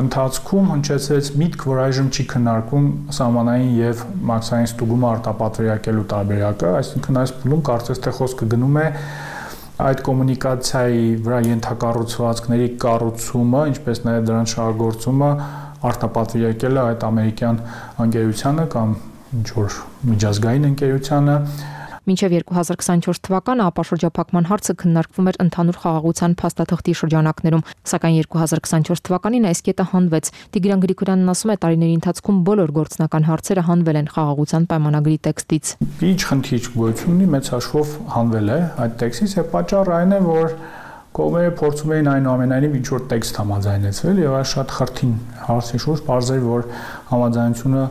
ընթացքում հնչեցրեց միտք, որ այժմ չի քննարկում սահմանային եւ մաքսային ստուգումը արտապատվիրակելու տարբերակը, այսինքն այս փուլում կարծես թե խոսքը գնում է այդ կոմունիկացիայի վրա ենթակառուցվածքների կառուցումը, ինչպես նաեւ դրանց շահագործումը արտապատվիրակելը այդ ամերիկյան ընկերությանը կամ ինչ որ միջազգային ընկերությանը։ Մինչև 2024 թվականը ապաշրջափակման հարցը քննարկվում էր ընդհանուր խաղաղության փաստաթղթի շրջանակներում, սակայն 2024 թվականին այս կետը հանվեց։ Տիգրան Գրիգորյանն ասում է, տարիների ընթացքում բոլոր գործնական հարցերը հանվել են խաղաղության պայմանագրի տեքստից։ Ինչ խնդիր գոյություն ունի, մեծ հաշվով հանվել է այդ տեքստից, եւ պատճառը այն է, որ կողմերը փորձում էին այնուամենայնիվ ինչ որ տեքստ համաձայնեցվել եւ այս շատ խրթին հարցի շուրջ բարձր որ համաձայնությունը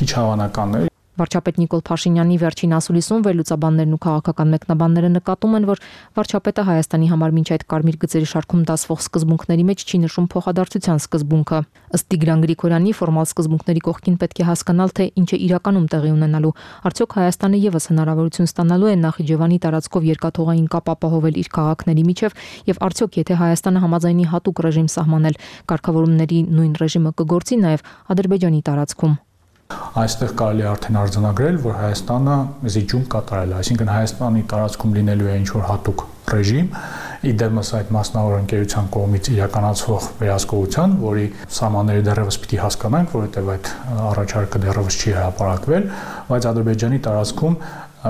քիչ հավանական է։ Վարչապետ Նիկոլ Փաշինյանի վերջին ասուլիսում վերլուծաբաններն ու քաղաքական մեկնաբանները նկատում են, որ վարչապետը Հայաստանի համար մինչ այդ կարմիր գծերի շարքում դասվող սկզբունքների մեջ չի նշում փոխադարձության սկզբունքը։ Ըստ Տիգրան Գրիգորյանի ֆորմալ սկզբունքների կողքին պետք է հասկանալ, թե ինչ է իրականում տեղի ունենալու։ Արդյոք Հայաստանը եւս հնարավորություն ստանալու է Նախիջևանի տարածքով երկաթուղային կապ ապահովել իր քաղաքների միջև եւ արդյոք եթե Հայաստանը համաձայնի հատուկ ռեժիմ սահմանել, կարգավորումների նույն ռեժիմը կգործի նաեւ Ադրբեջանի տարածքում։ Այստեղ կարելի է արդեն արձանագրել, որ Հայաստանը զիջում կատարել է, այսինքն Հայաստանի տարածքում լինելու է ինչ-որ հատուկ ռեժիմ, իդեմս այդ մասնավոր ընկերության կողմից իրականացվող վերահսկողության, որի սահմանները դեռևս պիտի հասկանանք, որովհետև այդ առաջարկը դեռևս չի հրապարակվել, բայց Ադրբեջանի տարածքում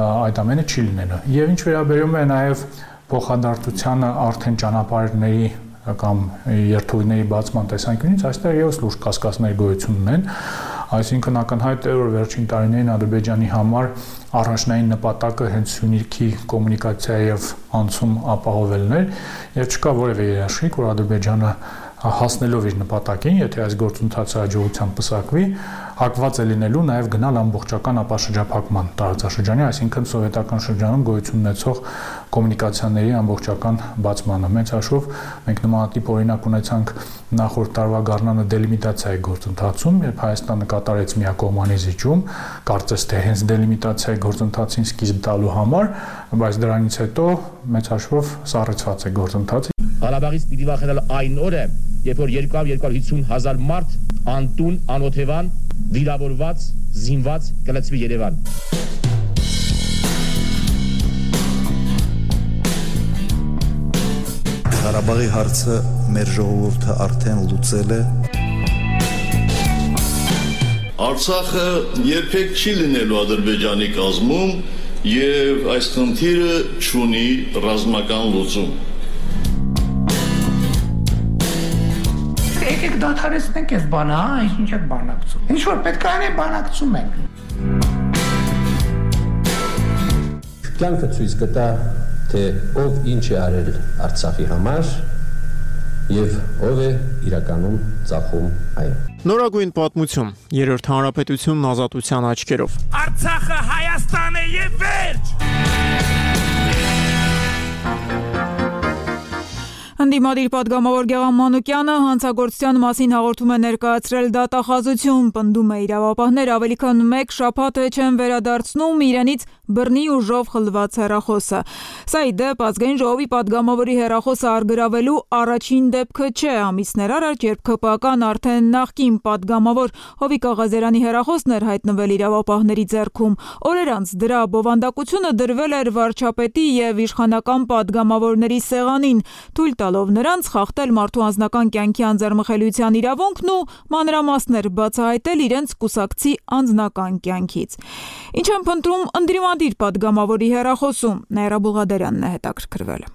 այդ ամենը չի լինելու։ Եվ ինչ վերաբերում է նաև փոխադարձությանը արդեն ճանապարհների կամ երթուղիների բացման տեսանկյունից, այստեղ եւս լուրջ կասկածներ գոյություն ունեն։ Այսինքն ակնհայտ է, որ վերջին տարիներին Ադրբեջանի համար առաջնային նպատակը հենց Սյունիքի կոմունիկացիա եւ անցում ապահովելն էր եւ չկա որևէ երաշխիք, որ Ադրբեջանը հասնելով իր նպատակին, եթե այս գործընթացը հաջողությամբ պսակվի, հակված է լինելու նաև գնալ ամբողջական ապաշրջափակման տարածաշրջանի, այսինքն սովետական շրջանում գոյություն ունեցող կոմունիկացիաների ամբողջական բացմանը։ Մեծ հաշվով մենք նմանատիպ օրինակ ունեցանք նախորդ տարվա գարնանը դելիմիտացիայի գործընթացում, երբ Հայաստանը կատարեց միակողմանի զիջում, կարծես թե հենց դելիմիտացիայի գործընթացին սկիզբ տալու համար, բայց դրանից հետո մեծ հաշվով սառեցված է գործընթացը։ Ղարաբաղից պիտի վախենալ այն օրը, երբ որ 200-250,000 մարդ անտուն, անօթևան, վիրավորված, զինված կլցվի Երևան։ Ղարաբաղի հարցը մեր ժողովուրդը արդեն լուծել է։ Արցախը երբեք չի լինելու Ադրբեջանի կազմում եւ այս խնդիրը չունի ռազմական լուծում։ Եկեք դադարեցնենք այս բանը, ինչ եք բանակցում։ Ինչ որ պետք է անենք, բանակցում ենք։ Կյանքը ցույց կտա, թե ով ինչ է արել Արցախի համար եւ ով է իրականում ծախում այն։ Նորագույն պատմություն, Երրորդ հանրապետությունն ազատության աչքերով։ Արցախը Հայաստան է եւ վերջ։ Ընդդիմադիր պատգամավոր Գեղամ Մանուկյանը հանցագործության մասին հաղորդում է ներկայացրել դատախազություն, պնդում է իրավապահներ ավելի քան 1 շաբաթ չեն վերադարձնում իրենից բռնի ուժով խլված հեռախոսը։ Սա ի դեպ ազգային ժողովի պատգամավորի հեռախոսը արգրավելու առաջին դեպքը չէ, ամիսներ առաջ, երբ ԿՊԱ-կան արդեն նախկին պատգամավոր Հովիկ Աղազարյանի հեռախոսն էր հայտնվել իրավապահների ձեռքում։ Օրեր անց դրա բովանդակությունը դրվել էր վարչապետի եւ իշխանական պատգամավորների սեղանին, թույլ տալով նրանց խախտել մարդու անձնական կյանքի անձեռմխելիության իրավունքն ու մանրամասներ բացահայտել իրենց կուսակցի անձնական կյանքից։ Ինչ են փնտրում ընդդիմադիր պատգամավորի հեռախոսում, Նաիրա Բուղադարյանն է հետաքրքրվել։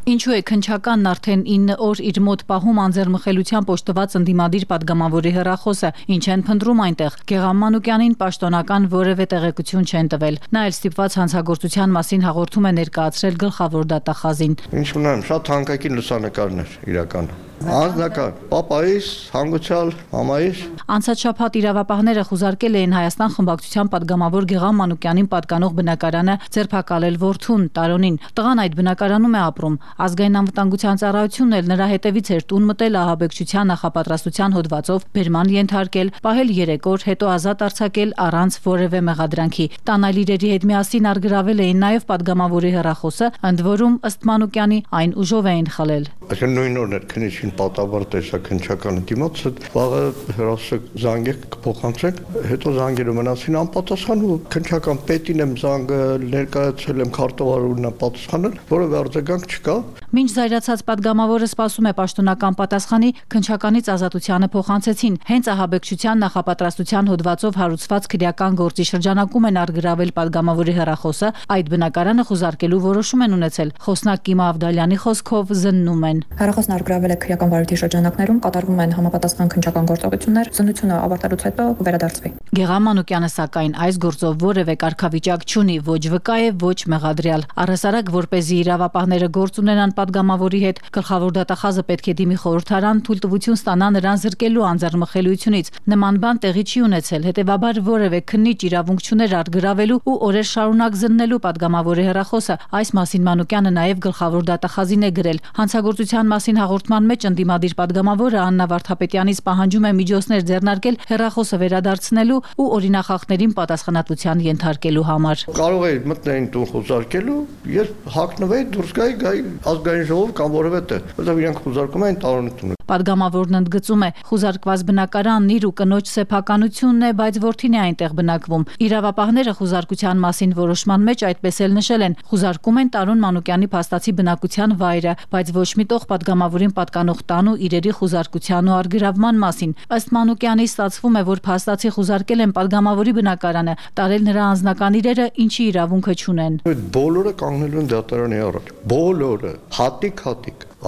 Ինչու է քնչականն արդեն 9 օր իր մոտ պահում անձեռմխելիությամբ օժտված ընդդիմադիր պատգամավորի հեռախոսը, ինչ են փնտրում այնտեղ։ Գեղամ Մանուկյանին պաշտոնական որևէ տեղեկություն չեն տվել։ Նա էլ ստիպված հանցագործության մասին հաղորդում է ներկայացրել գլխավոր դատախազին։ Ինչ ունեմ, շատ թանկագին լուսանկարներ իրական։ Անձնական, պապայիս, հանգուցյալ, մամայիս։ Անցած շաբաթ իրավապահները խուզարկել էին Հայաստան խմբակցության պատգամավոր Գեղամ Մանուկյանին պատկանող բնակարանը ձերբակալել որդուն Տարոնին։ Տղան այդ բնակարանում է ապրում։ Ազգային անվտանգության ծառայությունն էլ նրա հետևից էր տուն մտել ահաբեկչության նախապատրաստության հոդվածով բերման ենթարկել, պահել 3 օր, հետո ազատ արձակել առանց որևէ մեղադրանքի։ Տան այլ իրերի հետ միասին արգրավել էին նաև պատգամավորի հեռախոսը, ընդ որում ըստ Մանուկյանի այն ուժով էին խլել։ Այսինքն նույն օրն էր քննիչին պատավար տեսա քնչականը դիմաց, վաղը հրոսը զանգեք կփոխանցենք, հետո զանգերը մնացին անպատասխան ու քնչական պետին եմ զանգը ներկայացել եմ քարտուղարունն պատասխանել, որովհետեւ արձագանք չկա։ Մինչ զայրացած պատգամավորը սպասում է պաշտոնական պատասխանի, քնչականից ազատությանը փոխանցեցին։ Հենց ահաբեկչության նախապատրաստության հոդվածով հարուցված քրեական գործի շրջանակում են արգրավել պատգամավորի հեռախոսը, այդ բնակարանը խուզարկելու որոշում են ունեցել։ Խոսնակ Կիմա Ավդալյանի խոսքով զննում են։ Հեռախոսն արգրավել է քրեական վարույթի շրջանակներում, կատարվում են համապատասխան քննչական գործողություններ, զննությունը ավարտելուց հետո կվերադարձվի։ Գեղամ Մանուկյանը սակայն այս գործով որևէ կարգավիճակ չունի, ոչ վկա է, ոչ մեղադրյալ։ Առհասարակ, որպեսզի իրավապահները գործ ունենան պատգամավորի հետ, գլխավոր դատախազը պետք է դիմի խորհրդարան թույլտվություն ստանա նրան զրկելու անձեռմխելիությունից։ Նման բան տեղի չի ունեցել, հետևաբար որևէ քննիչ իրավունք չուներ արգրավելու ու օրեր շարունակ զննելու պատգամավորի հեռախոսը։ Այս մասին Մանուկյանը նաև գլխավոր դատախազին է գրել։ Հանցագործության մասին հաղորդման մեջ ընդդիմադիր պատգամավորը Աննա Վարդապետյանից պահանջում է միջոցներ ձեռնարկել հեռախոսը վերադարձնելու ու օրինախախտներին պատասխանատվության ենթարկելու համար։ Կարող է մտնեին տուն խոզարկելու, երբ հակնվեի դուրս գայի ազգային ժողով կամ որևէ տեղ, որովհետև իրանք խոզարկում են Տարոնի տունը։ Պատգամավորն ընդգծում է, խուզարկված բնակարանն իր ու կնոջ սեփականությունն է, բայց որդին է այնտեղ բնակվում։ Իրավապահները խուզարկության մասին որոշման մեջ այդպես էլ նշել են, խուզարկում են Տարոն Մանուկյանի փաստացի բնակության վայրը, բայց ոչ մի տող պատգամավորին պատկանող տան ու իրերի խուզարկության ու արգրավման մասին։ Ըստ Մանուկյանի ստացվում է, որ փաստացի խուզարկել են պատգամավորի բնակարանը, տարել նրա անձնական իրերը, ինչի իրավունքը չունեն։ Բոլորը կանգնելու են դատարանի առաջ, բոլորը, հատիկ,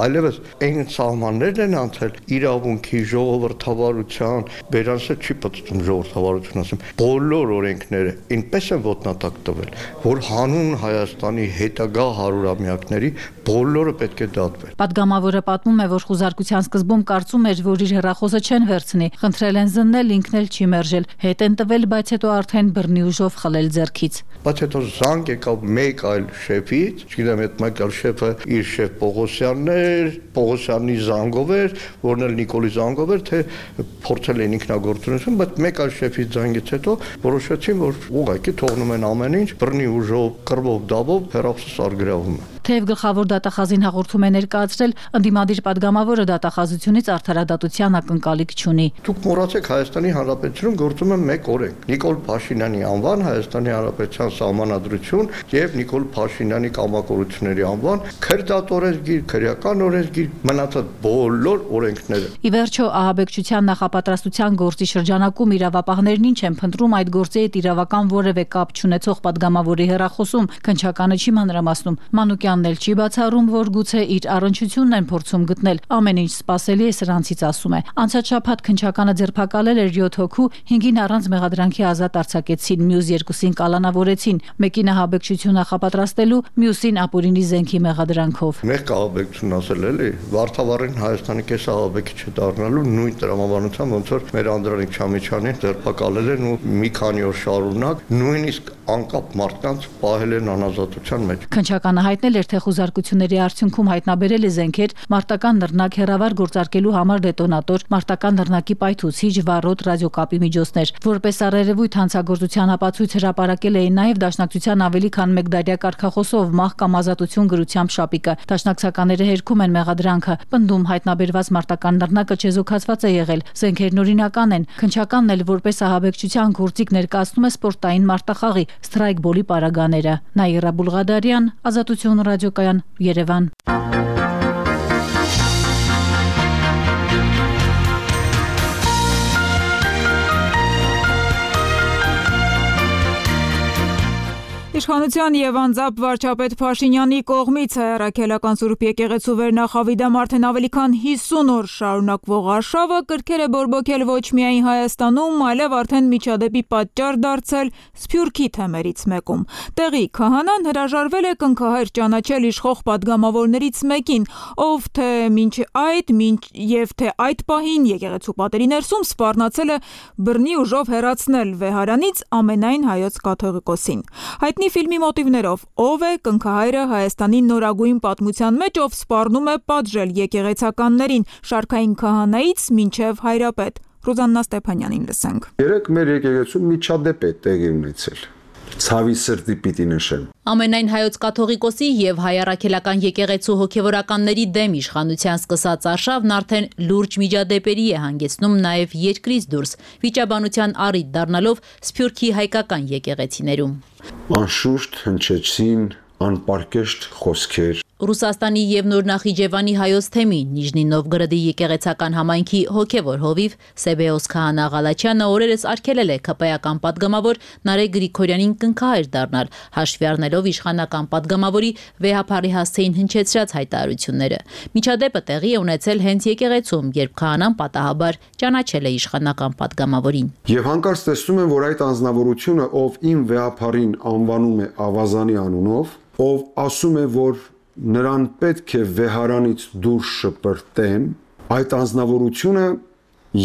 այլևս այն սահմաններն են անցել իրավունքի, ժողովրդավարության, բերանսը չի պատտում ժողովրդավարություն ասեմ, բոլոր օրենքները այնպես են ոտնատակ տվել, որ հանուն Հայաստանի հետագա հարյուրամյակների բոլորը պետք է դատվեն։ Պատգամավորը պատմում է, որ խուզարկության սկզբում կարծում էր, որ իր հեռախոսը չեն վերցնի, խնդրել են զննել, ինքն էլ չի մերժել, հետ են տվել, բայց հետո արդեն բռնի ուժով խլել ձեռքից։ Բայց հետո զանգ եկավ մեկ այլ շեֆից, չգիտեմ, այդ մեկ այլ շեֆը իր շեֆ Պողոսյանն էր, Պողոսյանի զանգով էր, որն էլ Նիկոլի զանգով էր, թե փորձել են ինքնագործունություն, բայց մեկ այլ շեֆից զանգից հետո որոշեցին, որ ուղղակի թողնում են ամեն ինչ, բռնի ուժով, կռվով, դավով հեռախոսը սարգրավում է։ Թեև գլխավոր դատախազին հաղորդում է ներկայացրել, ընդդիմադիր պատգամավորը դատախազությունից արդարադատության ակնկալիք չունի։ Դուք մոռացեք, Հայաստանի Հանրապետությունում գործում է մեկ օրենք՝ Նիկոլ Փաշինյանի անվան, Հայաստանի Հանրապետության Սահմանադրություն եւ Նիկոլ Փաշինյանի կամակորությունների անվան, քրդատորեզգիր, քրեական օրենսգիր, մնացած բոլոր օրենքները։ Ի վերջո, ահաբեկչության նախապատրաստության գործի շրջանակում իրավապահներն ինչ են փնտրում այդ գործի հետ իրավական որևէ կապ չունեցող պատգամավորի հեռախոսում, քննչականը չի մանրամասնում։ Մանուկյանն էլ չի բացառում, որ գուցե իր առնչությունն են փորձում գտնել։ Ամեն ինչ սպասելի է սրանցից, ասում է։ Անցած շաբաթ քննչականը ձերբակալել էր 7 հոգու, 5-ին առանց մեղադրանքի ազատ արձակեցին, մյուս 2-ին կալանավորեցին, մեկին ահաբեկչություն նախապատրաստելու, մյուսին ապօրինի զենքի մեղադրանքով։ Մեղք ահաբեկչություն ասել էլի, Վարդավառին Հայաստանի կես ահաբեկիչ դառնալու նույն տրամաբանությամբ, ոնց որ մեր Անդրանիկ Չամիչյանին ձերբակալել են ու մի քանի օր շարունակ նույնիսկ անկապ մարդկանց պահել են անազատության մեջ։ Քննչականը հայտնել էր, թե խուզարկությունների արդյունքում հայտնաբերել է զենքեր, մարտական նռնակ, հեռավար գործարկելու համար դետոնատոր, մարտական նռնակի պայթուցիչ, վառոդ, ռադիոկապի միջոցներ։ Որպես առերևույթ հանցագործության ապացույց հրապարակել էին նաև Դաշնակցության ավելի քան 1 դարյա կարգախոսով մահ կամ ազատություն գրությամբ շապիկը։ Դաշնակցականները հերքում են մեղադրանքը։ Պնդում հայտնաբերված մարտական նռնակը չեզոքացված է եղել, զենքերն օրինական են։ Քննչականն էլ որպես ահաբեկչության գործիք ներկայացնում է սպորտային մարտախաղի սթրայքբոլի պարագաները։ Նաիրա Բուլղադարյան, Ազատություն ռադիոկայան, Երևան։ Իշխանության եւ անձամբ վարչապետ Փաշինյանի կողմից հայրաքելական Սուրբ եկեղեցու վերնախավիդամ արդեն ավելի քան 50 օր շարունակվող արշավը կրքեր է բորբոքել ոչ միայն Հայաստանում, այլև արդեն միջադեպի պատճառ դարձել Սփյուռքի թեմերից մեկում։ Տեղի քահանան հրաժարվել է կնքահայր ճանաչել իշխող պատգամավորներից մեկին, ով թե այդ պահին եկեղեցու պատերի ներսում սպառնացել է բռնի ուժով հեռացնել վեհարանից ամենայն հայոց կաթողիկոսին։ Հայտնի ֆիլմի մոտիվներով ով է կնքահայրը Հայաստանի նորագույն պատմության մեջ, ով սպառնում է պատժել եկեղեցականներին, շարքային քահանայից մինչև հայրապետ։ Ռուզաննա Ստեփանյանին լսենք։ Երեք մեր եկեղեցում միջադեպ է տեղի ունեցել։ Ցավի սրտի պիտի նշեմ։ Ամենայն հայոց կաթողիկոսի եւ հայ առաքելական եկեղեցու հոգեվորականների դեմ իշխանության սկսած արշավն արդեն լուրջ միջադեպերի է հանգեցնում նաեւ երկրից դուրս, վիճաբանության առիթ դառնալով Սփյուռքի հայկական եկեղեցիներում։ Անշուշտ հնչեցին անպարկեշտ խոսքեր։ Ռուսաստանի եւ Նոր Նախիջևանի հայոց թեմի Նիժնի Նովգորոդի եկեղեցական համայնքի հոգևոր հովիվ Սեբեոս Քահանա Ղալաչյանը օրերս արգելել է ԿՊ-ական պատգամավոր Նարեկ Գրիգորյանին կնքահայր դառնալ, հաշվի առնելով իշխանական պատգամավորի վեհապարի հասցեին հնչեցրած հայտարարությունները։ Միջադեպը տեղի է ունեցել հենց եկեղեցում, երբ քահանան պատահաբար ճանաչել է իշխանական պատգամավորին։ Եվ հանկարծ տեսնում եմ, որ այդ անձնավորությունը, ով իմ վեհապարին անվանում է ավազանի անունով, ով ասում է, որ նրան պետք է վեհարանից դուրս շպրտեն, այդ անձնավորությունը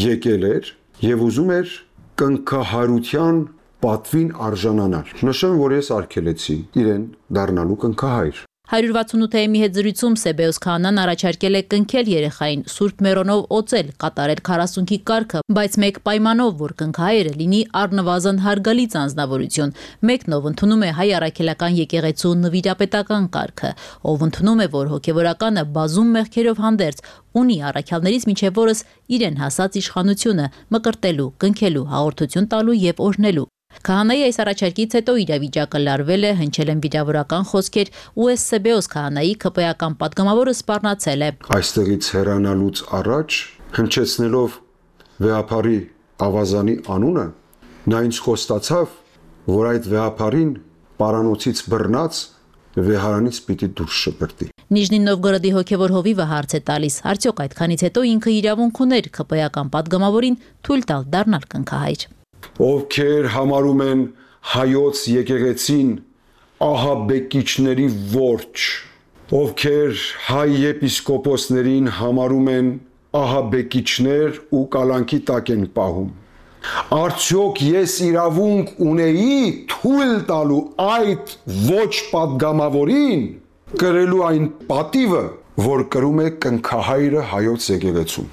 եկել էր եւ ուզում էր կնքահայրության պատվին արժանանալ։ Նշեմ, որ ես արգելեցի իրեն դառնալու կնքահայր։ 168-ի հետ զրույցում Սեբեոս Քահանան առաջարկել է կնքել երեխային, Սուրբ Մերոնով օծել, կատարել 40-քի կարգը, բայց մեկ պայմանով, որ կնքահայրը լինի առնվազն հարգալից անձնավորություն, մեկն ով ընդունում է հայ առաքելական եկեղեցու նվիրապետական կարգը, ով ընդունում է, որ հոգևորականը բազում մեղքերով հանդերձ ունի առաքյալներից մինչև օրս իրեն հասած իշխանությունը մկրտելու, կնքելու, հաղորդություն տալու եւ օրհնելու։ Քահանայի այս առաջարկից հետո իրավիճակը լարվել է, հնչել են վիրավորական խոսքեր ու Սեբեոս Քահանայի ԿՊ-ական պատգամավորը սպառնացել է։ Այստեղից հեռանալուց առաջ, հնչեցնելով վեհապարի ավազանի անունը, նա ինձ խոստացավ, որ այդ վեհապարին պարանոցից բռնած վեհարանից պիտի դուրս շպրտի։ Նիժնի Նովգորոդի հոգևոր հովիվը հարց է տալիս. արդյոք այդքանից հետո ինքը իրավունք ուներ ԿՊ-ական падգամավորին թույլ տալ դառնալ կնքահայր։ Ովքեր համարում են հայոց եկեղեցին ահաբեկիչների ворջ, ովքեր հայ եպիսկոպոսներին համարում են ահաբեկիչներ ու կալանքի տակ են պահում։ Արդյոք ես իրավունք ունեի թույլ տալու այդ ոչ падգամավորին կրելու այն պատիվը, որ կրում է կնքահայրը հայոց եկեղեցում։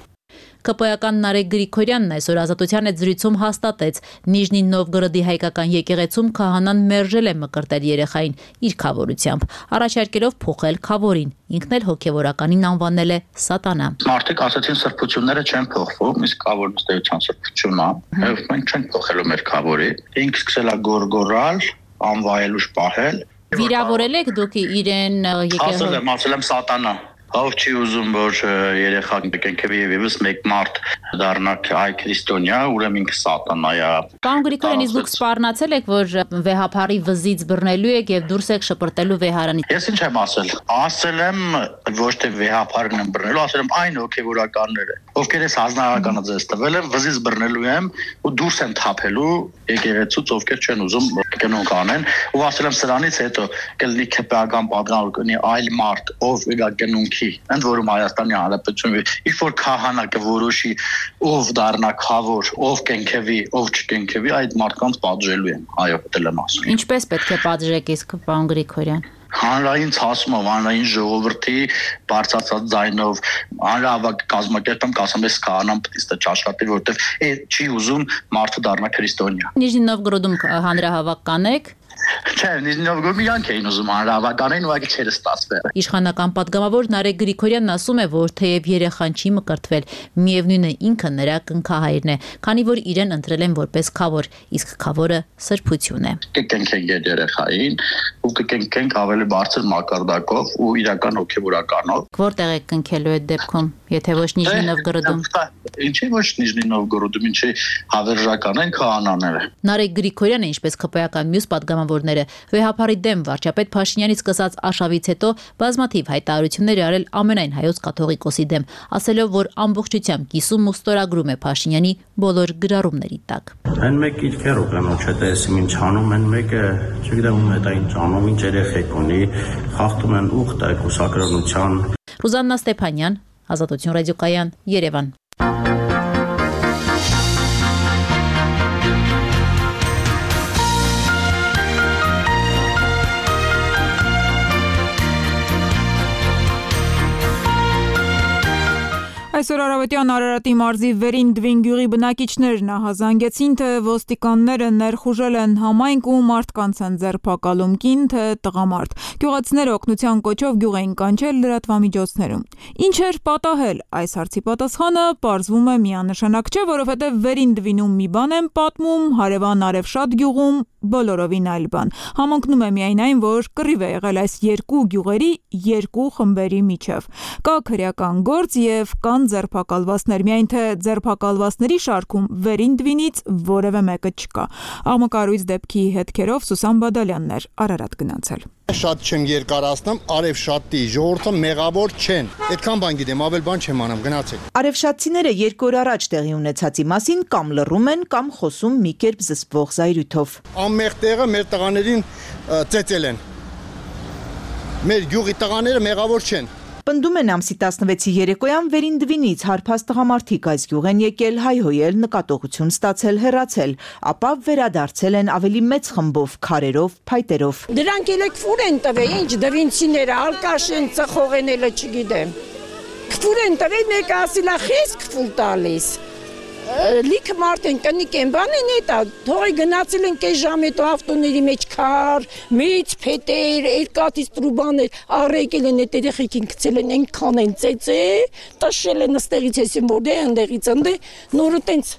ԿՊ-ական Նարեկ Գրիգորյանն այսօր Ազատության հետ զրույցում հաստատեց, Նիժնի Նովգորոդի հայկական եկեղեցում քահանան մերժել է մկրտել երեխային իր քավորությամբ, առաջարկելով փոխել քավորին, ինքն էլ հոգևորականին անվանել է սատանա։ Մարդիկ ասացին սրբությունները չեն փոխվում, իսկ քավորն ըստեյության սրբությունն է, եւ մենք չենք փոխելու մեր քավորի։ Ինքը սկսել է գորգորալ, անվայելուշ պահել։ Վիրավորել եք դուք իրեն եկեղեցու։ Ասել եմ սատանա։ Ով չի ուզում, որ երեխան կենքեվի եւ եւս մեկ մարդ դառնա այ քրիստոնյա, ուրեմն ինքը սատանա է։ Պարոն Գրիգորյան, իսկ դուք սպառնացել եք, որ վեհապարի վզից բռնելու եք եւ դուրս եք շպրտելու վեհարանից։ Ես ինչ եմ ասել։ Ասել եմ ոչ թե վեհապարն եմ բռնելու, ասել եմ այն հոգեվորականները, ովքեր էս հանրահավաքանը ձեզ տվել են, վզից բռնելու եմ ու դուրս եմ թափելու եկեղեցուց, ովքեր չեն ուզում կնոնք անեն, ու ասել եմ սրանից հետո կլինի ԿՊ-ական падգամավոր կնի այլ մարդ, ով իր կնոնք ընդ որում Հայաստանի Հանրապետությունը ինչ որ քահանա կորոշի ով դառնա քավոր, ով կենքեվի, ով չկենքեվի, այդ մարդկանց պատժելու են, այո, դել եմ ասում։ Ինչպես պետք է պատժեք իսկ պարոն Գրիգորյան։ Հանրային ցասումով, հանրային ժողովրդի բարձրացած ձայնով, հանրահավաք կազմակերպեմ, կասեմ ես քահանան պետք է չաշխատի, որովհետև չի ուզում մարդը դառնա քրիստոնյա։ Նիժնի Նովգորոդում հանրահավաք կանեք։ Չէ, Նիժնի Նովգորոդում իրանք էին ուզում հանրահավաքային, ուղղակի չէր ստացվել։ Իշխանական падգամավոր Նարեկ Գրիգորյանն ասում է, որ թեև երեխան չի մկրտվել, միևնույն է ինքը նրա կնքահայրն է, քանի որ իրեն ընտրել են որպես քավոր, իսկ քավորը սրբություն է։ Կկենքենք այդ երեխային ու կկենքենք ավելի բարձր մակարդակով ու իրական հոգեվորականով։ Որտեղ եք կնքելու այդ դեպքում, եթե ոչ Նիժնի Նովգորոդում։ Ինչի ոչ Նիժնի Նովգորոդում, ինչի հավերժական են քահանաները։ Նարեկ Գրիգորյանը, ինչպես ԿՊ-ական մյուս падգամավորները, վեհապարի դեմ վարչապետ Փաշինյանի սկսած արշավից հետո բազմաթիվ հայտարարություններ արել ամենայն հայոց կաթողիկոսի դեմ, ասելով, որ ամբողջությամբ կիսում ու ստորագրում է Փաշինյանի բոլոր գրառումների տակ։ Այն մեկ իլքեր ուղղանոց չէ, տեսիմ ինչ անում, այն մեկը, չգիտեմ ում է դա ինչ անում, ինչ երեխեք ունի, խախտում են ուխտ այդ կուսակրոնության։ Ռուզաննա Ստեփանյան, Ազատություն ռադիոկայան, Երևան։ Այսօր առավոտյան Արարատի մարզի Վերին Դվին գյուղի բնակիչներն ահազանգեցին, թե ոստիկանները ներխուժել են համայնք ու մարդկանց են ձերբակալում, կին թե տղամարդ։ Գյուղացիները օգնության կոչով գյուղ էին կանչել լրատվամիջոցներում։ Ինչ էր պատահել, այս հարցի պատասխանը պարզվում է միանշանակ չէ, որովհետև Վերին Դվինում մի բան են պատմում, հարևան Արևշատ գյուղում բոլորովին այլ բան։ Համընկնում է միայն այն, որ կռիվ է եղել այս երկու գյուղերի երկու խմբերի միջև։ Կա քրեական գործ եւ կան ձերբակալվածներ, միայն թե ձերբակալվածների շարքում Վերին Դվինից որևէ մեկը չկա։ Աղմկարույց դեպքի հետքերով Սուսան Բադալյանն էր Արարատ գնացել։ Շատ չեմ երկարացնում, Արևշատի ժողովուրդը մեղավոր չեն։ Այդքան բան գիտեմ, ավել բան չեմ անում, գնացեք։ Արևշատցիները 2 օր առաջ տեղի ունեցածի մասին կամ լռում են, կամ խոսում մի կերպ զսպվող զայրույթով։ Ամեղ տեղը մեր տղաներին ծեծել են։ Մեր գյուղի տղաները մեղավոր չեն։ Պնդում են ամսի 16-ի երեկոյան Վերին Դվինից հարբած տղամարդիկ այս գյուղ են եկել, հայհոյել, նկատողություն ստացել, հեռացել, ապա վերադարձել են ավելի մեծ խմբով, քարերով, փայտերով։ Դրանք էլ քֆուր են տվել, ինչ դվինցիները, ալկաշ են ծխողեն էլ չգիտեմ։ Քֆուր են տվել, մեկը ասիլա խես քֆուր տալիս։ Լիքը մարդ են, կնիկ են, բան են էտա, թողի գնացել են կես ժամ հետո ավտոների մեջ քար, մեծ փետեր, երկաթից տրուբաներ, առեկել են էտ երեխեքին գցել են, այնքան են ծեծե, տաշել են ըստեղից հեսին որ դե, ընդեղից ընդե, նորը տենց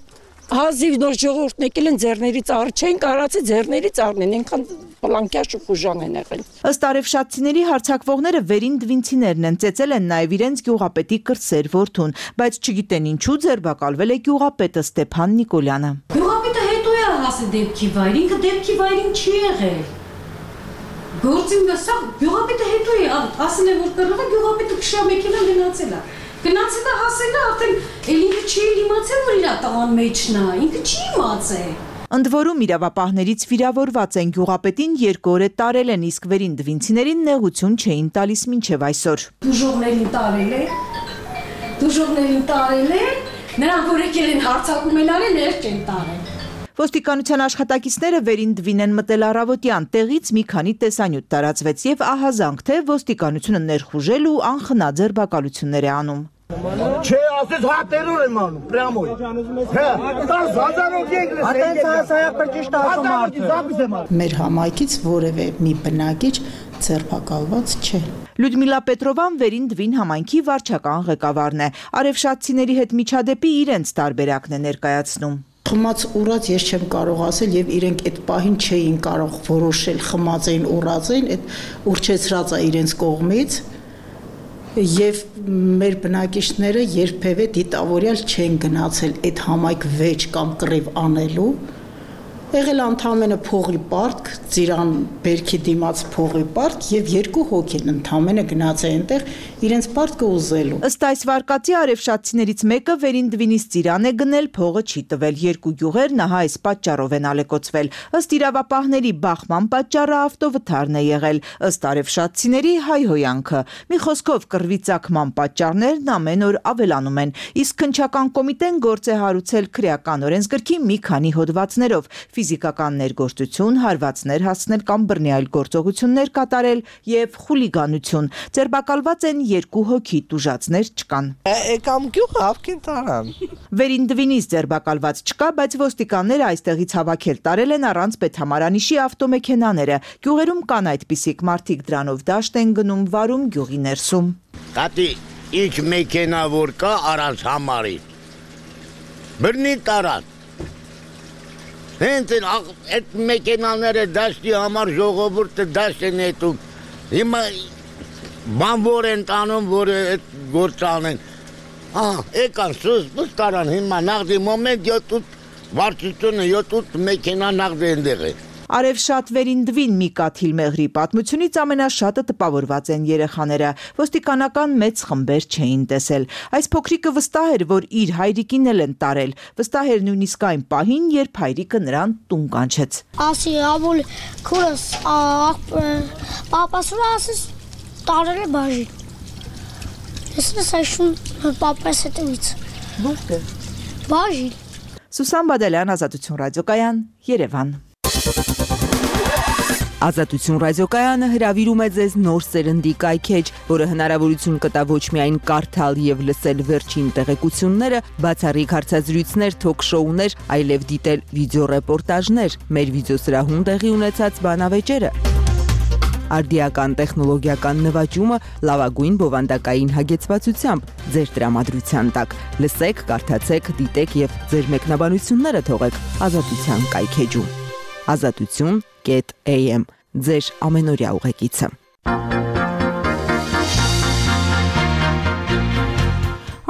հազիվ նոր ժողովուրդն եկել են ձեռներից առ չեն կարացի ձեռներից առնեն, այնքան պլանկյաշ ու խուժան են եղել։ Ըստ արևշատցիների հարձակվողները Վերին Դվինցիներն են, ծեծել են նաև իրենց գյուղապետի կրտսեր որդուն, բայց չգիտեն ինչու ձերբակալվել է գյուղապետը Ստեփան Նիկոլյանը։ Գյուղապետը հետո է հասել դեպքի վայր, ինքը դեպքի վայրին չի եղել։ Գործին դասա գյուղապետը հետո է ասել է որ կռվա գյուղապետը քշա մեքենա գնացել է։ Գնացել է հասել է արդեն էլի չի իմացել որ իր տղան մեջն է, ինքը չի իմացել։ Ընդ որում իրավապահներից վիրավորված են գյուղապետին 2 օր է տարել են, իսկ վերին դվինցիներին նեղություն չէին տալիս մինչև այսօր։ Դուժողներին տարել է, նրանք որ եկել են հարցակում են արել, ներ չեն տարել։ Ոստիկանության աշխատակիցները վերին դվին են մտել առավոտյան, տեղից մի քանի տեսանյութ տարածվեց եւ ահազանգ թե ոստիկանությունը ներխուժել ու անխնա ձերբակալություններ է անում։ Չէ, ասես հա տերոր եմ անում, պրյամոյ։ Հա, 10,000 եկել է։ Ատենցիա ճիշտ ասում արդեն։ Մեր համայնքից որևէ մի բնակիչ ձերբակալված չէ։ Լյուդմիլա Պետրովան վերին դվին համայնքի վարչական ղեկավարն է։ Արևշատցիների հետ միջադեպի իրենց տարբերակն է ներկայացնում։ Խմած ուռած ես չեմ կարող ասել եւ իրենք այդ պահին չէին կարող որոշել խմած էին ուռած էին, այդ ուրճեցրած է իրենց կողմից եւ մեր բնակիչները երբևէ դիտավորյալ չեն գնացել այդ համայնք վեճ կամ կռիվ անելու։ Եղել ընդամենը փողի պարտք, ծիրան բերքի դիմաց փողի պարտք եւ 2 հոգի են ընդամենը գնացել այնտեղ իրենց պարտքը ուզելու։ Ըստ այս վարկածի արևշատցիներից մեկը վերին դվինից ծիրան է գնել, փողը չի տվել, 2 գյուղերն ահա այս պատճառով են ալեկոծվել։ Ըստ իրավապահների բախման պատճառը ավտովթարն է եղել, ըստ արևշատցիների հայհոյանքը։ Մի խոսքով կռվի ծագման պատճառներն ամեն օր ավելանում են, իսկ քննչական կոմիտեն գործ է հարուցել քրեական օրենսգրքի մի քանի հոդվածներով։ Ֆիզիկական ներգործություն, հարվածներ հասնել կամ բռնի այլ գործողություններ կատարել եւ խուլիգանություն։ Ձերբակալված են 2 հոգի, տուժածներ չկան։ Եկամ գյուղը ավքին տարան։ Վերին դվինից ձերբակալված չկա, բայց ոստիկանները այստեղից հավաքել տարել են առանց պետհամարանիշի ավտոմեքենաները։ Գյուղերում կան այդպիսիք մարդիկ դրանով դաշտ են գնում, վարում գյուղի ներսում։ Տատի, ինչ մեքենա որ կա առանց համարի։ Բռնի տարան։ Հենց այդ մեքենաները դաշտի համար ժողովուրդը դաշտ են հետում։ Հիմա բան որ են տանում, որ այդ գործ անեն։ Եկան սուս տարան հիմա նաղդի մոմենտ 7 վարչությունը 7 մեքենա նաղդի ընդեղ է։ Արևշատ վերին դվին մի կաթիլ մեղրի պատմությունից ամենաշատը տպավորված են երեխաները։ Ոստիկանական մեծ խմբեր չէին տեսել։ Այս փոքրիկը վստահ էր, որ իր հայրիկին էլ են տարել։ Վստահ էր նույնիսկ այն պահին, երբ հայրիկը նրան տուն կանչեց։ Ասի ավոլ քուրս պապասուր ասես տարել է բաժին։ Ես այսուն պապաս հետևից։ Որտե՞ղ։ Բաժին։ Սուսան Բադալյան, Ազատություն ռադիոկայան, Երևան։ Ազատություն ռադիոկայանը հրավիրում է ձեզ նոր սերնդի կայքեջ, որը հնարավորություն կտա ոչ միայն կարդալ եւ լսել վերջին տեղեկությունները, բացառիկ հարցազրույցներ, թոք-շոուներ, այլև դիտել վիդեոռեպորտաժներ, մեր վիդեոսրահում տեղի ունեցած բանավեճերը։ Արդիական տեխնոլոգիական նվաճումը լավագույն բովանդակային հագեցվածությամբ ձեր տրամադրության տակ։ Լսեք, կարդացեք, դիտեք եւ ձեր մեկնաբանությունները թողեք Ազատության կայքեջում։ Azatutun.am ձեր ամենօրյա ուղեկիցը։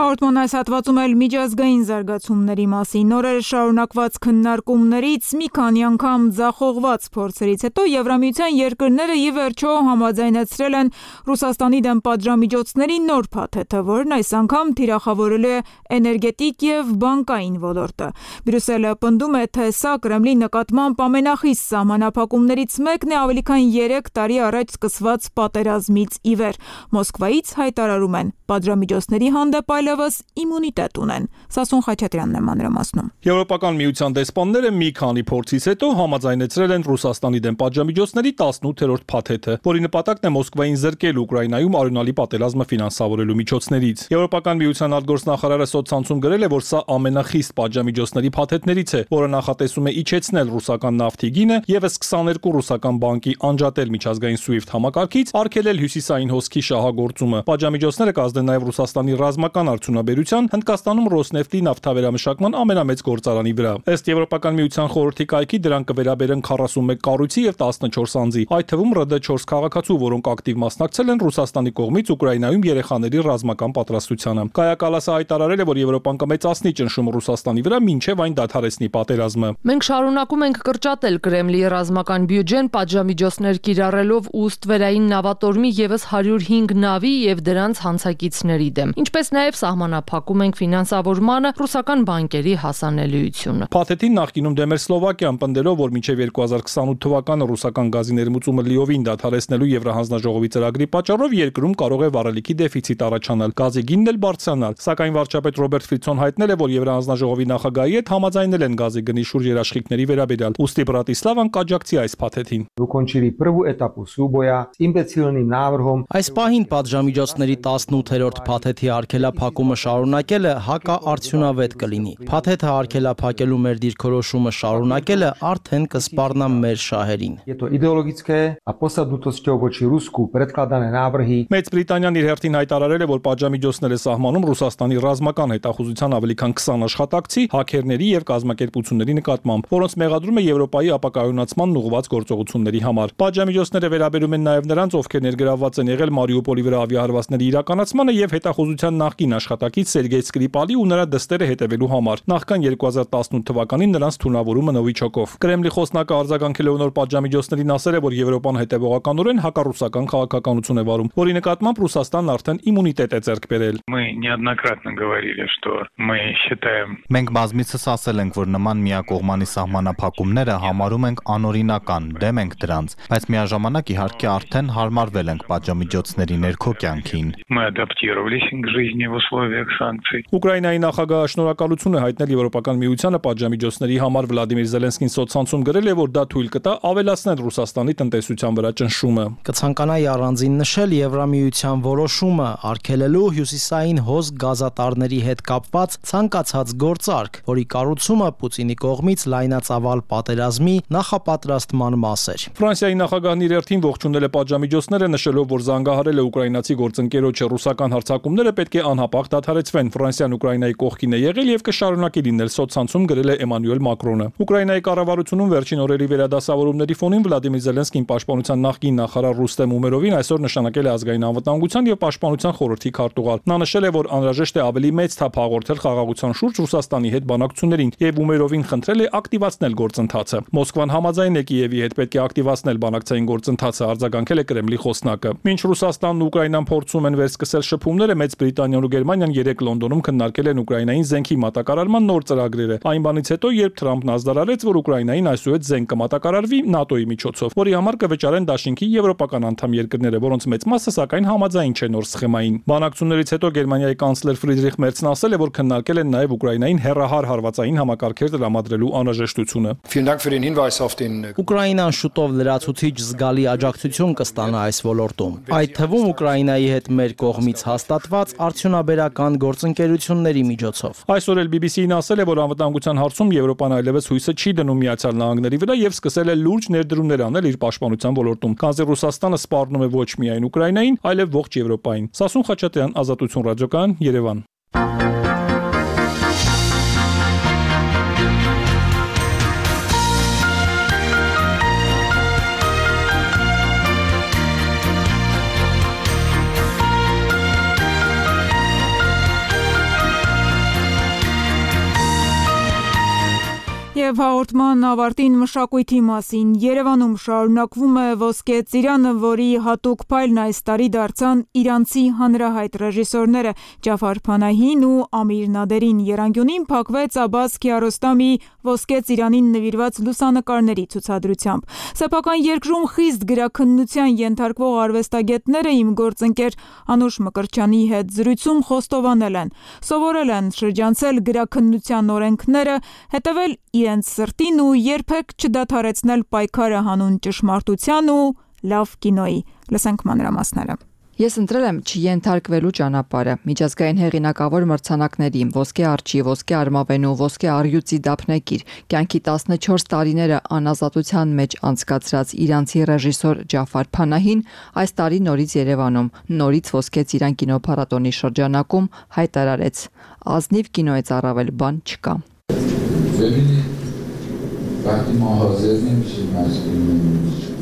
Հաղորդման այս հատվածում էլ միջազգային զարգացումների մասին նորերը շարունակված քննարկումներից մի քանի անգամ ձախողված փորձերից հետո Եվրամիության երկրները ի վերջո համաձայնեցրել են Ռուսաստանի դեմ պատժամիջոցների նոր փաթեթը, որն այս անգամ թիրախավորել է էներգետիկ եւ բանկային ոլորտը։ Բրյուսելը պնդում է, թե սա Կրեմլի նկատմամբ ամենախիստ սահմանափակումներից մեկն է ավելի քան 3 տարի առաջ սկսված պատերազմից ի վեր։ Մոսկվայից հայտարարում են, պատժամիջոցների հանդեպ այլևս իմունիտետ ունեն։ Սասուն Խաչատրյանն է մանրամասնում։ Եվրոպական միության դեսպանները մի քանի փորձից հետո համաձայնեցրել են Ռուսաստանի դեմ պատժամիջոցների 18-րդ փաթեթը, որի նպատակն է Մոսկվային զրկել Ուկրաինայում արյունալի պատերազմը ֆինանսավորելու միջոցներից։ Եվրոպական միության արտգործնախարարը սոցցանցում գրել է, որ սա ամենախիստ պատժամիջոցների փաթեթներից է, որը նախատեսում է իջեցնել ռուսական նավթի գինը, եւս 22 ռուսական բանկի անջատել միջազգային SWIFT համակարգից, արգելել հյուսիսային հոսքի շահագործումը։ Պատժամիջոցները կազդեն նաեւ Ռուսաստանի ռազմական արդյունաբերության, Հնդկաստանում Ռոսնեֆտի նավթավերամշակման ամենամեծ գործարանի վրա։ Ըստ Եվրոպական միության խորհրդի կայքի դրանք կվերաբերեն 41 կառույցի եւ 14 անձի, այդ թվում ՌԴ 4 քաղաքացու, որոնք ակտիվ մասնակցել են Ռուսաստանի կողմից Ուկրաինայում երեխաների ռազմական պատրաստությանը։ Կայա Կալասը հայտարարել է, որ Եվրոպան կմեծացնի ճնշումը Ռուսաստանի վրա, մինչև այն դադարեցնի պատերազմը։ Մենք շարունակում ենք կրճատել Կրեմլի ռազմական բյուջեն, պատժամիջոցներ կիրառելով ու ստվերային նավատորմի եւս 105 նավի եւ դրանց հանցակիցների դեմ, ինչպես նաեւ սահմանափակում ենք ֆինանսավորմանը, ռուսական բանկերի հասանելիությունը։ Փաթեթին նախկինում դեմ էր Սլովակիան, պնդելով, որ մինչև 2028 թվականը ռուսական գազի ներմուծումը լիովին դադարեցնելու Եվրահանձնաժողովի ծրագրի պատճառով երկրում կարող է վառելիքի դեֆիցիտ առաջանալ, գազի գինն էլ բարձրանալ, սակայն վարչապետ Ռոբերտ Ֆիցոն հայտնել է, որ Եվրահանձնաժողովի նախագահի հետ համաձայնել են գազի գնի շուրջ երաշխիքների վերաբերյալ։ Ուստի Բրատիսլավան կաջակցի այս փաթեթին։ Այս պահին պատժամիջոցների 18-րդ փաթեթի արգելափակումը շարունակելը հակաարդյունավետ կլինի։ Փաթեթը արգելափակելու մեր դիրքորոշումը շարունակելը արդեն կսպառնա մեր շահերին։ Մեծ Բրիտանիան իր հերթին հայտարարել է, որ պատժամիջոցներ է սահմանում Ռուսաստանի ռազմական հետախուզության ավելի քան 20 աշխատակցի, հաքերների եւ կազմակերպությունների նկատմամբ, որոնց մեղադրում է Եվրոպայի ապակայունացման ուղղված գործողությունների համար։ Պատժամիջոցները վերաբերում են նաեւ նրանց, ովքեր ներգրավված են եղել Մարիուպոլի վրա ավիահարվածների իրականացմանը եւ հետախուզության նախկին աշխատակից Սերգեյ Սկրիպալի ու նրա դստերը հետևելու համար։ Նախքան 2018 թվականին նրանց թունավորումը Նովիչոկով։ Կրեմլի խոսնակը արձագանքել է նոր պատժամիջոցներին, ասել է, որ Եվրոպան հետևողականորեն հակառուսական քաղաքականություն է վարում, որի նկատմամբ Ռուսաստանն արդեն իմունիտետ է ձեռք բերել։ Մենք բազմիցս ասել ենք, որ նման միակողմանի սահմանափակումները համարում ենք անօրինական, դեմ ենք դրանց, բայց միաժամանակ իհարկե արդեն հարմարվել ենք պատժամիջոցների ներքո կյանքին։ Ուկրաինայի նախագահը շնորհակալություն է հայտնել Եվրոպական միությանը պատժամիջոցների համար։ Վլադիմիր Զելենսկին սոցցանցում գրել է, որ դա թույլ կտա ավելացնել Ռուսաստանի տնտեսության վրա ճնշումը։ Կցանկանայի առանձին նշել Եվրամիության որոշումը արգելելու հյուսիսային հոզ գազատարների հետ կապված ցանկացած գործարք, որի կառուցումը Պուտինի կողմից լայնածավալ պատերազմի նախապատրաստման մաս էր։ Ֆրանսիայի նախագահն իր հերթին ողջունել է պատժամիջոցները, նշելով, որ զանգահարել է ուկրաինացի գործընկերոջը, ռուսական հարձակումները պետք է անհապաղ դադարեցվեն։ Ֆրանսիան Ուկրաինայի կողքին է եղել եւ կշարունակի լինել, սոցցանցում գրել է Էմանուել Մակրոնը։ Ուկրաինայի կառավարությունում վերջին օրերի վերադասավորումների ֆոնին Վլադիմիր Զելենսկին պաշտպանության նախկին նախարար Ռուստեմ Ումերովին այսօր նշանակել է ազգային անվտանգության եւ պաշտպանության խորհրդի քարտուղար։ Նա նշել է, որ անհրաժեշտ է ավելի մեծ թափ հաղորդել խաղաղության շուրջ Ռուսաստանի հետ բանակցություններին եւ Ումերովին խնդրել է ակտիվացնել գործընթացը։ Մոսկվան համաձայն է Կիևի հետ պետք է ակտիվացնել բանակցային գործընթացը, արձագանքել է Կրեմլի խոսնակը։ Մինչ Ռուսաստանն ու Ուկրաինան փորձում են վերսկսել շփումները, Մեծ Բրիտանիան ու Գերմանիան 3 Լոնդոնում քննարկել են Ուկրաինային զենքի մատակարարման նոր ծրագրերը։ Այն բանից հետո, երբ Թրամփն ազդարարեց, որ Ուկրաինային այսուհետ զենք կմատակարարվի ՆԱՏՕ-ի միջոցով, որի համար կվճարեն դաշինքի եվրոպական անդամ երկրները, որոնց մեծ մասը սակայն համաձայն չէ նոր սխեմային։ Բանակցություններից հետո Գերմանիայի կանցլեր Ֆրիդրիխ Մերցն ասել է, որ քննարկել են նաև Ուկրաինային հեռահար հարվածային համակարգեր տրամադրելու անհրաժեշտությունը։ Ուկրաինան շուտով լրացուցիչ զգալի աջակցություն կստանա այս ոլորտում, այդ թվում Ուկրաինայի հետ մեր կողմից հաստատված արդյունաբերական գործընկերությունների միջոցով։ Այսօր էլ BBC-ն ասել է, որ անվտանգության հարցում Եվրոպան այլևս հույսը չի դնում Միացյալ Նահանգների վրա եւ սկսել է լուրջ ներդրումներ անել իր պաշտպանության ոլորտում, քանզի Ռուսաստանը սպառնում է ոչ միայն Ուկրաինային, այլև ողջ Եվրոպային։ Սասուն Խաչատրյան, Ազատություն ռադիոկայան, Երևան։ Եվ հաղորդման ավարտին մշակույթի մասին։ Երևանում շարունակվում է Ոսկե ծիրանը, որի հատուկ փայլն այս տարի դարձան իրանցի հանրահայտ ռեժիսորները Ջաֆար Փանահին ու Ամիր Նադերին։ Եռանկյունին փակվեց Աբբաս Քիարոստամի Ոսկե ծիրանին նվիրված լուսանկարների ցուցադրությամբ։ Սեփական երկրում խիստ գրաքննության ենթարկվող արվեստագետները իմ գործընկեր Անուշ Մկրտչյանի հետ զրույցում խոստովանել են, սովորել են շրջանցել գրաքննության օրենքները, հետևել իրենց սրտին ու երբեք չդադարեցնել պայքարը հանուն ճշմարտության ու լավ կինոյի։ Լսենք մանրամասները։ Ես ընտրել եմ չենթարկվելու ճանապարհը։ Միջազգային հեղինակավոր մրցանակների, ոսկե արջի, ոսկե արմավենու, ոսկե առյուծի դափնեկիր, կյանքի 14 տարիները անազատության մեջ անցկացրած իրանցի ռեժիսոր Ջաֆար Փանահին այս տարի նորից Երևանում, նորից ոսկե Ծիրան կինոփառատոնի շրջանակում հայտարարեց. ազնիվ կինոից առավել բան չկա։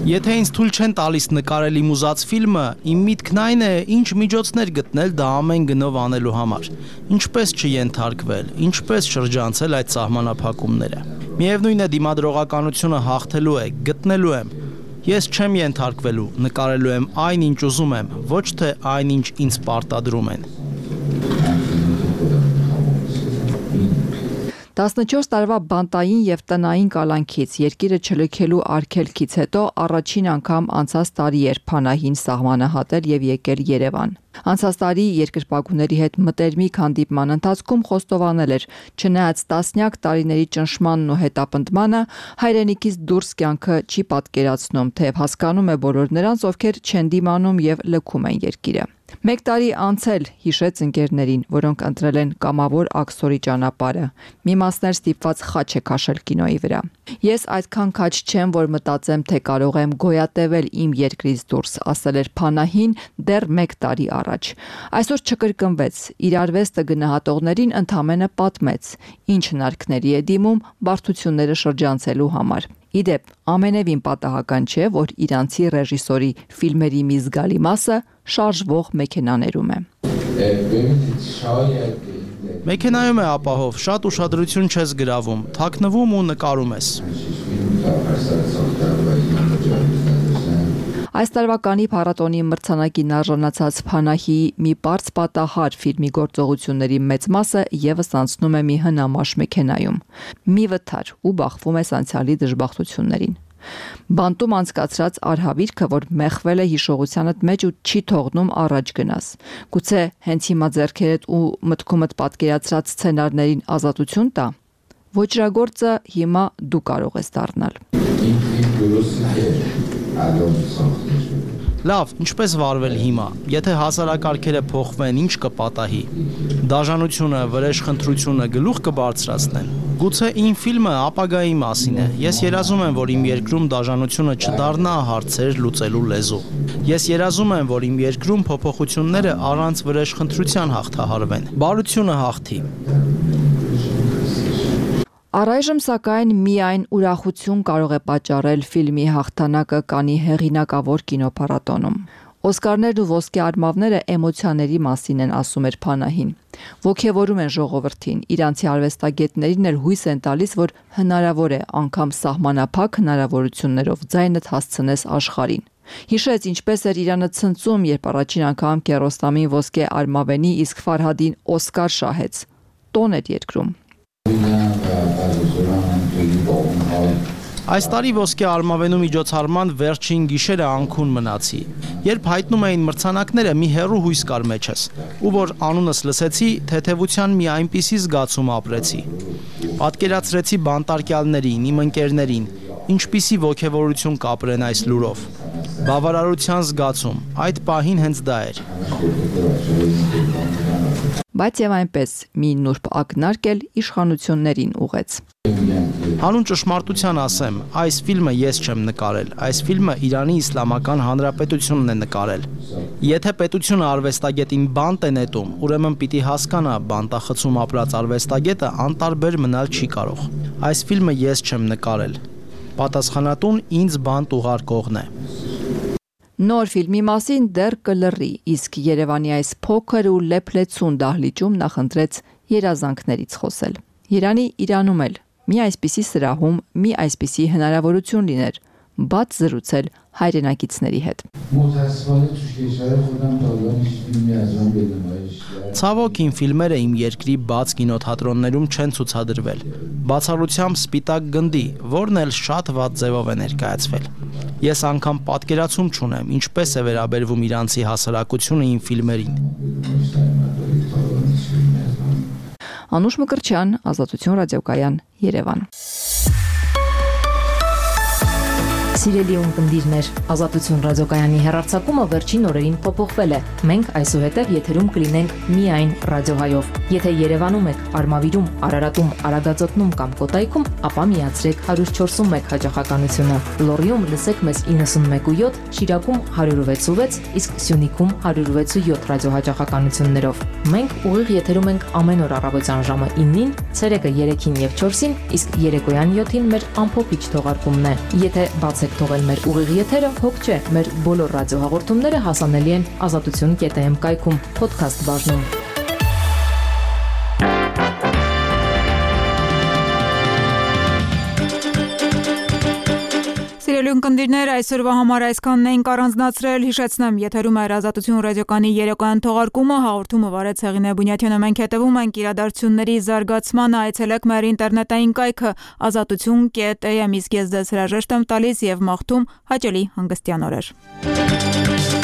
Եթե ինձ թույլ չեն տալիս նկարել իմ ուզած ֆիլմը, իմ միտքն այն է, ինչ միջոցներ գտնել դա ամեն գնով անելու համար։ Ինչպես չենթարկվել, ինչպես շրջանցել այդ սահմանափակումները։ Միևնույն է դիմադրողականությունը հաղթելու է, գտնելու եմ։ Ես չեմ ենթարկվելու, նկարելու եմ այն, ինչ ուզում եմ, ոչ թե այն, ինչ ինձ պարտադրում են։ 14 տարվա բանտային եւ տնային կալանքից, երկիրը չլքելու արգելքից հետո առաջին անգամ անցած տարի էր Փանահին սահմանը հատել եւ եկել Երևան։ Անցած տարի երկրպագուների հետ մտերմիկ հանդիպման ընթացքում խոստովանել էր, չնայած տասնյակ տարիների ճնշմանն ու հետապնդմանը, հայրենիքից դուրս կյանքը չի պատկերացնում, թեև հասկանում է բոլոր նրանց, ովքեր չեն դիմանում եւ լքում են երկիրը։ Մեկ տարի անցել, հիշեց ընկերներին, որոնք ընտրել են կամավոր աքսորի ճանապարհը։ Մի մասներ ստիպված խաչ է քաշել կինոյի վրա։ Ես այդքան քաչ չեմ, որ մտածեմ, թե կարող եմ գոյատևել իմ երկրից դուրս, ասել էր Փանահին դեռ մեկ տարի առաջ։ Այսօր չկրկնվեց, իր արվեստը գնահատողներին ընդամենը պատմեց, ինչ հնարքների է դիմում բարդությունները շրջանցելու համար։ Իդեպ, ամենևին պատահական չէ, որ իրանցի ռեժիսորի ֆիլմերի մի զգալի մասը շարժվող մեքենաներում է։ Մեքենայում է ապահով, շատ ուշադրություն չես գրավում, թաքնվում ու նկարում ես։ Այս տարվա Կաննի փառատոնի մրցանակին արժանացած Փանահիի մի պարզ պատահար ֆիլմի գործողությունների մեծ մասը ևս անցնում է մի հնամաշ մեքենայում։ Մի վթար ու բախվում է անցյալի դժբախտություններին։ Բանտում անցկացրած արհավիրքը, որ մեխվել է հիշողությանդ մեջ ու չի թողնում առաջ գնաս։ Գուցե հենց հիմա ձեռքերդ ու մտքումդ պատկերացրած սցենարներին ազատություն տա։ Ոճրագործը հիմա դու կարող ես դառնալ։ Լավ, ինչպես վարվել հիմա, եթե հասարակարգերը փոխվեն, ինչ կպատահի։ Դաժանությունը, վրեժխնդրությունը գլուխ կբարձրացնեն։ Գուցե իմ ֆիլմը ապագայի մասին է։ Ես երազում եմ, որ իմ երկրում դաժանությունը չդառնա հարցեր լուծելու լեզու։ Ես երազում եմ, որ իմ երկրում փոփոխությունները առանց վրեժխնդրության հաղթահարվեն։ Բարությունը հաղթի։ Առայժմ սակայն միայն ուրախություն կարող է պատճառել ֆիլմի հաղթանակը Կաննի հեղինակավոր կինոփառատոնում։ Օսկարներն ու ոսկե արմավները էմոցիաների մասին են, ասում էր Փանահին։ Ոգևորում են ժողովրդին, իրանցի արվեստագետներին էլ հույս են տալիս, որ հնարավոր է անգամ սահմանափակ հնարավորություններով ձայնդ հասցնես աշխարհին։ Հիշեց, ինչպես էր Իրանը ցնծում, երբ առաջին անգամ Կիարոստամին ոսկե արմավենի, իսկ Ֆարհադին Օսկար շահեց։ Տոն էր երկրում։ Այս տարի ոսկե արմավենու միջոցառման վերջին գիշերը անքուն մնացի։ Երբ հայտնում էին մրցանակները, մի հեռու հույս կար մեջս, ու որ անունս լսեցի, թեթևության մի այնպիսի զգացում ապրեցի։ Պատկերացրեցի բանտարկյալներին, իմ ընկերներին, ինչպիսի ոգևորություն կապրեն այս լուրով։ Բավարարության զգացում, այդ պահին հենց դա էր։ Բայց եւ այնպես մի նուրբ ակնարկ էլ իշխանություններին ուղեց։ Հանուն ճշմարտության ասեմ, այս ֆիլմը ես չեմ նկարել, այս ֆիլմը Իրանի Իսլամական Հանրապետությունն է նկարել։ Եթե պետությունը արվեստագետին բանտ է նետում, ուրեմն պիտի հասկանա, բանտախցում ապրած արվեստագետը անտարբեր մնալ չի կարող։ Այս ֆիլմը ես չեմ նկարել։ Պատասխանատուն ինձ բանտ ուղարկողն է։ Նոր ֆիլմի մասին դեռ կլռի, իսկ Երևանի այս փոքր ու լեփլեցուն դահլիճում նախընտրեց երազանքներից խոսել։ Երանի Իրանում էլ մի այսպիսի սրահում, մի այսպիսի հնարավորություն լիներ, բաց զրուցել հայրենակիցների հետ։ Ցավոք իմ ֆիլմերը իմ երկրի բաց կինոթատրոններում չեն ցուցադրվել։ Բացառությամբ Սպիտակ գնդի, որն էլ շատ վատ ձևով է ներկայացվել։ Ես անգամ պատկերացում չունեմ, ինչպես է վերաբերվում իրանցի հասարակությունը իմ ֆիլմերին։ Անուշ Մկրտչյան, Ազատություն ռադիոկայան, Երևան։ Սիրելի ունկնդիրներ, Ազատություն ռադիոկայանի հեռարձակումը վերջին օրերին փոփոխվել է։ Մենք այսուհետև եթերում կլինենք միայն ռադիոհայով։ Եթե Երևանում եք, Արմավիրում, Արարատում, Արագածոտնում կամ Կոտայքում, ապա միացրեք 104.1 հաճախականությունը։ Լոռիում լսեք մեզ 91.7, Շիրակում 106.6, իսկ Սյունիքում 106.7 ռադիոհաճախականություններով։ Մենք ուղիղ եթերում ենք ամեն օր առավոտյան ժամը 9-ին, ցերեկը 3-ին եւ 4-ին, իսկ երեկոյան 7-ին մեր ամփոփիչ թողարկումն է։ Եթե բացեք թողել մեր ուղիղ եթերը, հոգ չէ, մեր բոլոր ռադիոհաղորդումները հասանելի են azatutun.am կայքում, podcast բաժնում։ Սիրելի ունկնդիրներ, այսօրվա համար այսքանն էինք առանձնացրել, հիշեցնեմ, եթերում է Ազատություն ռադիոկայանի երեկոյան թողարկումը, հաղորդումը վարեց Հեղինե Բունյաթյանը, մենք հետևում ենք իրադարձությունների զարգացմանը, այցելեք մեր ինտերնետային կայքը azatutun.am, իսկ ես ձեզ հրաժեշտ եմ տալիս եւ մաղթում հաճելի հանգստյան օրեր։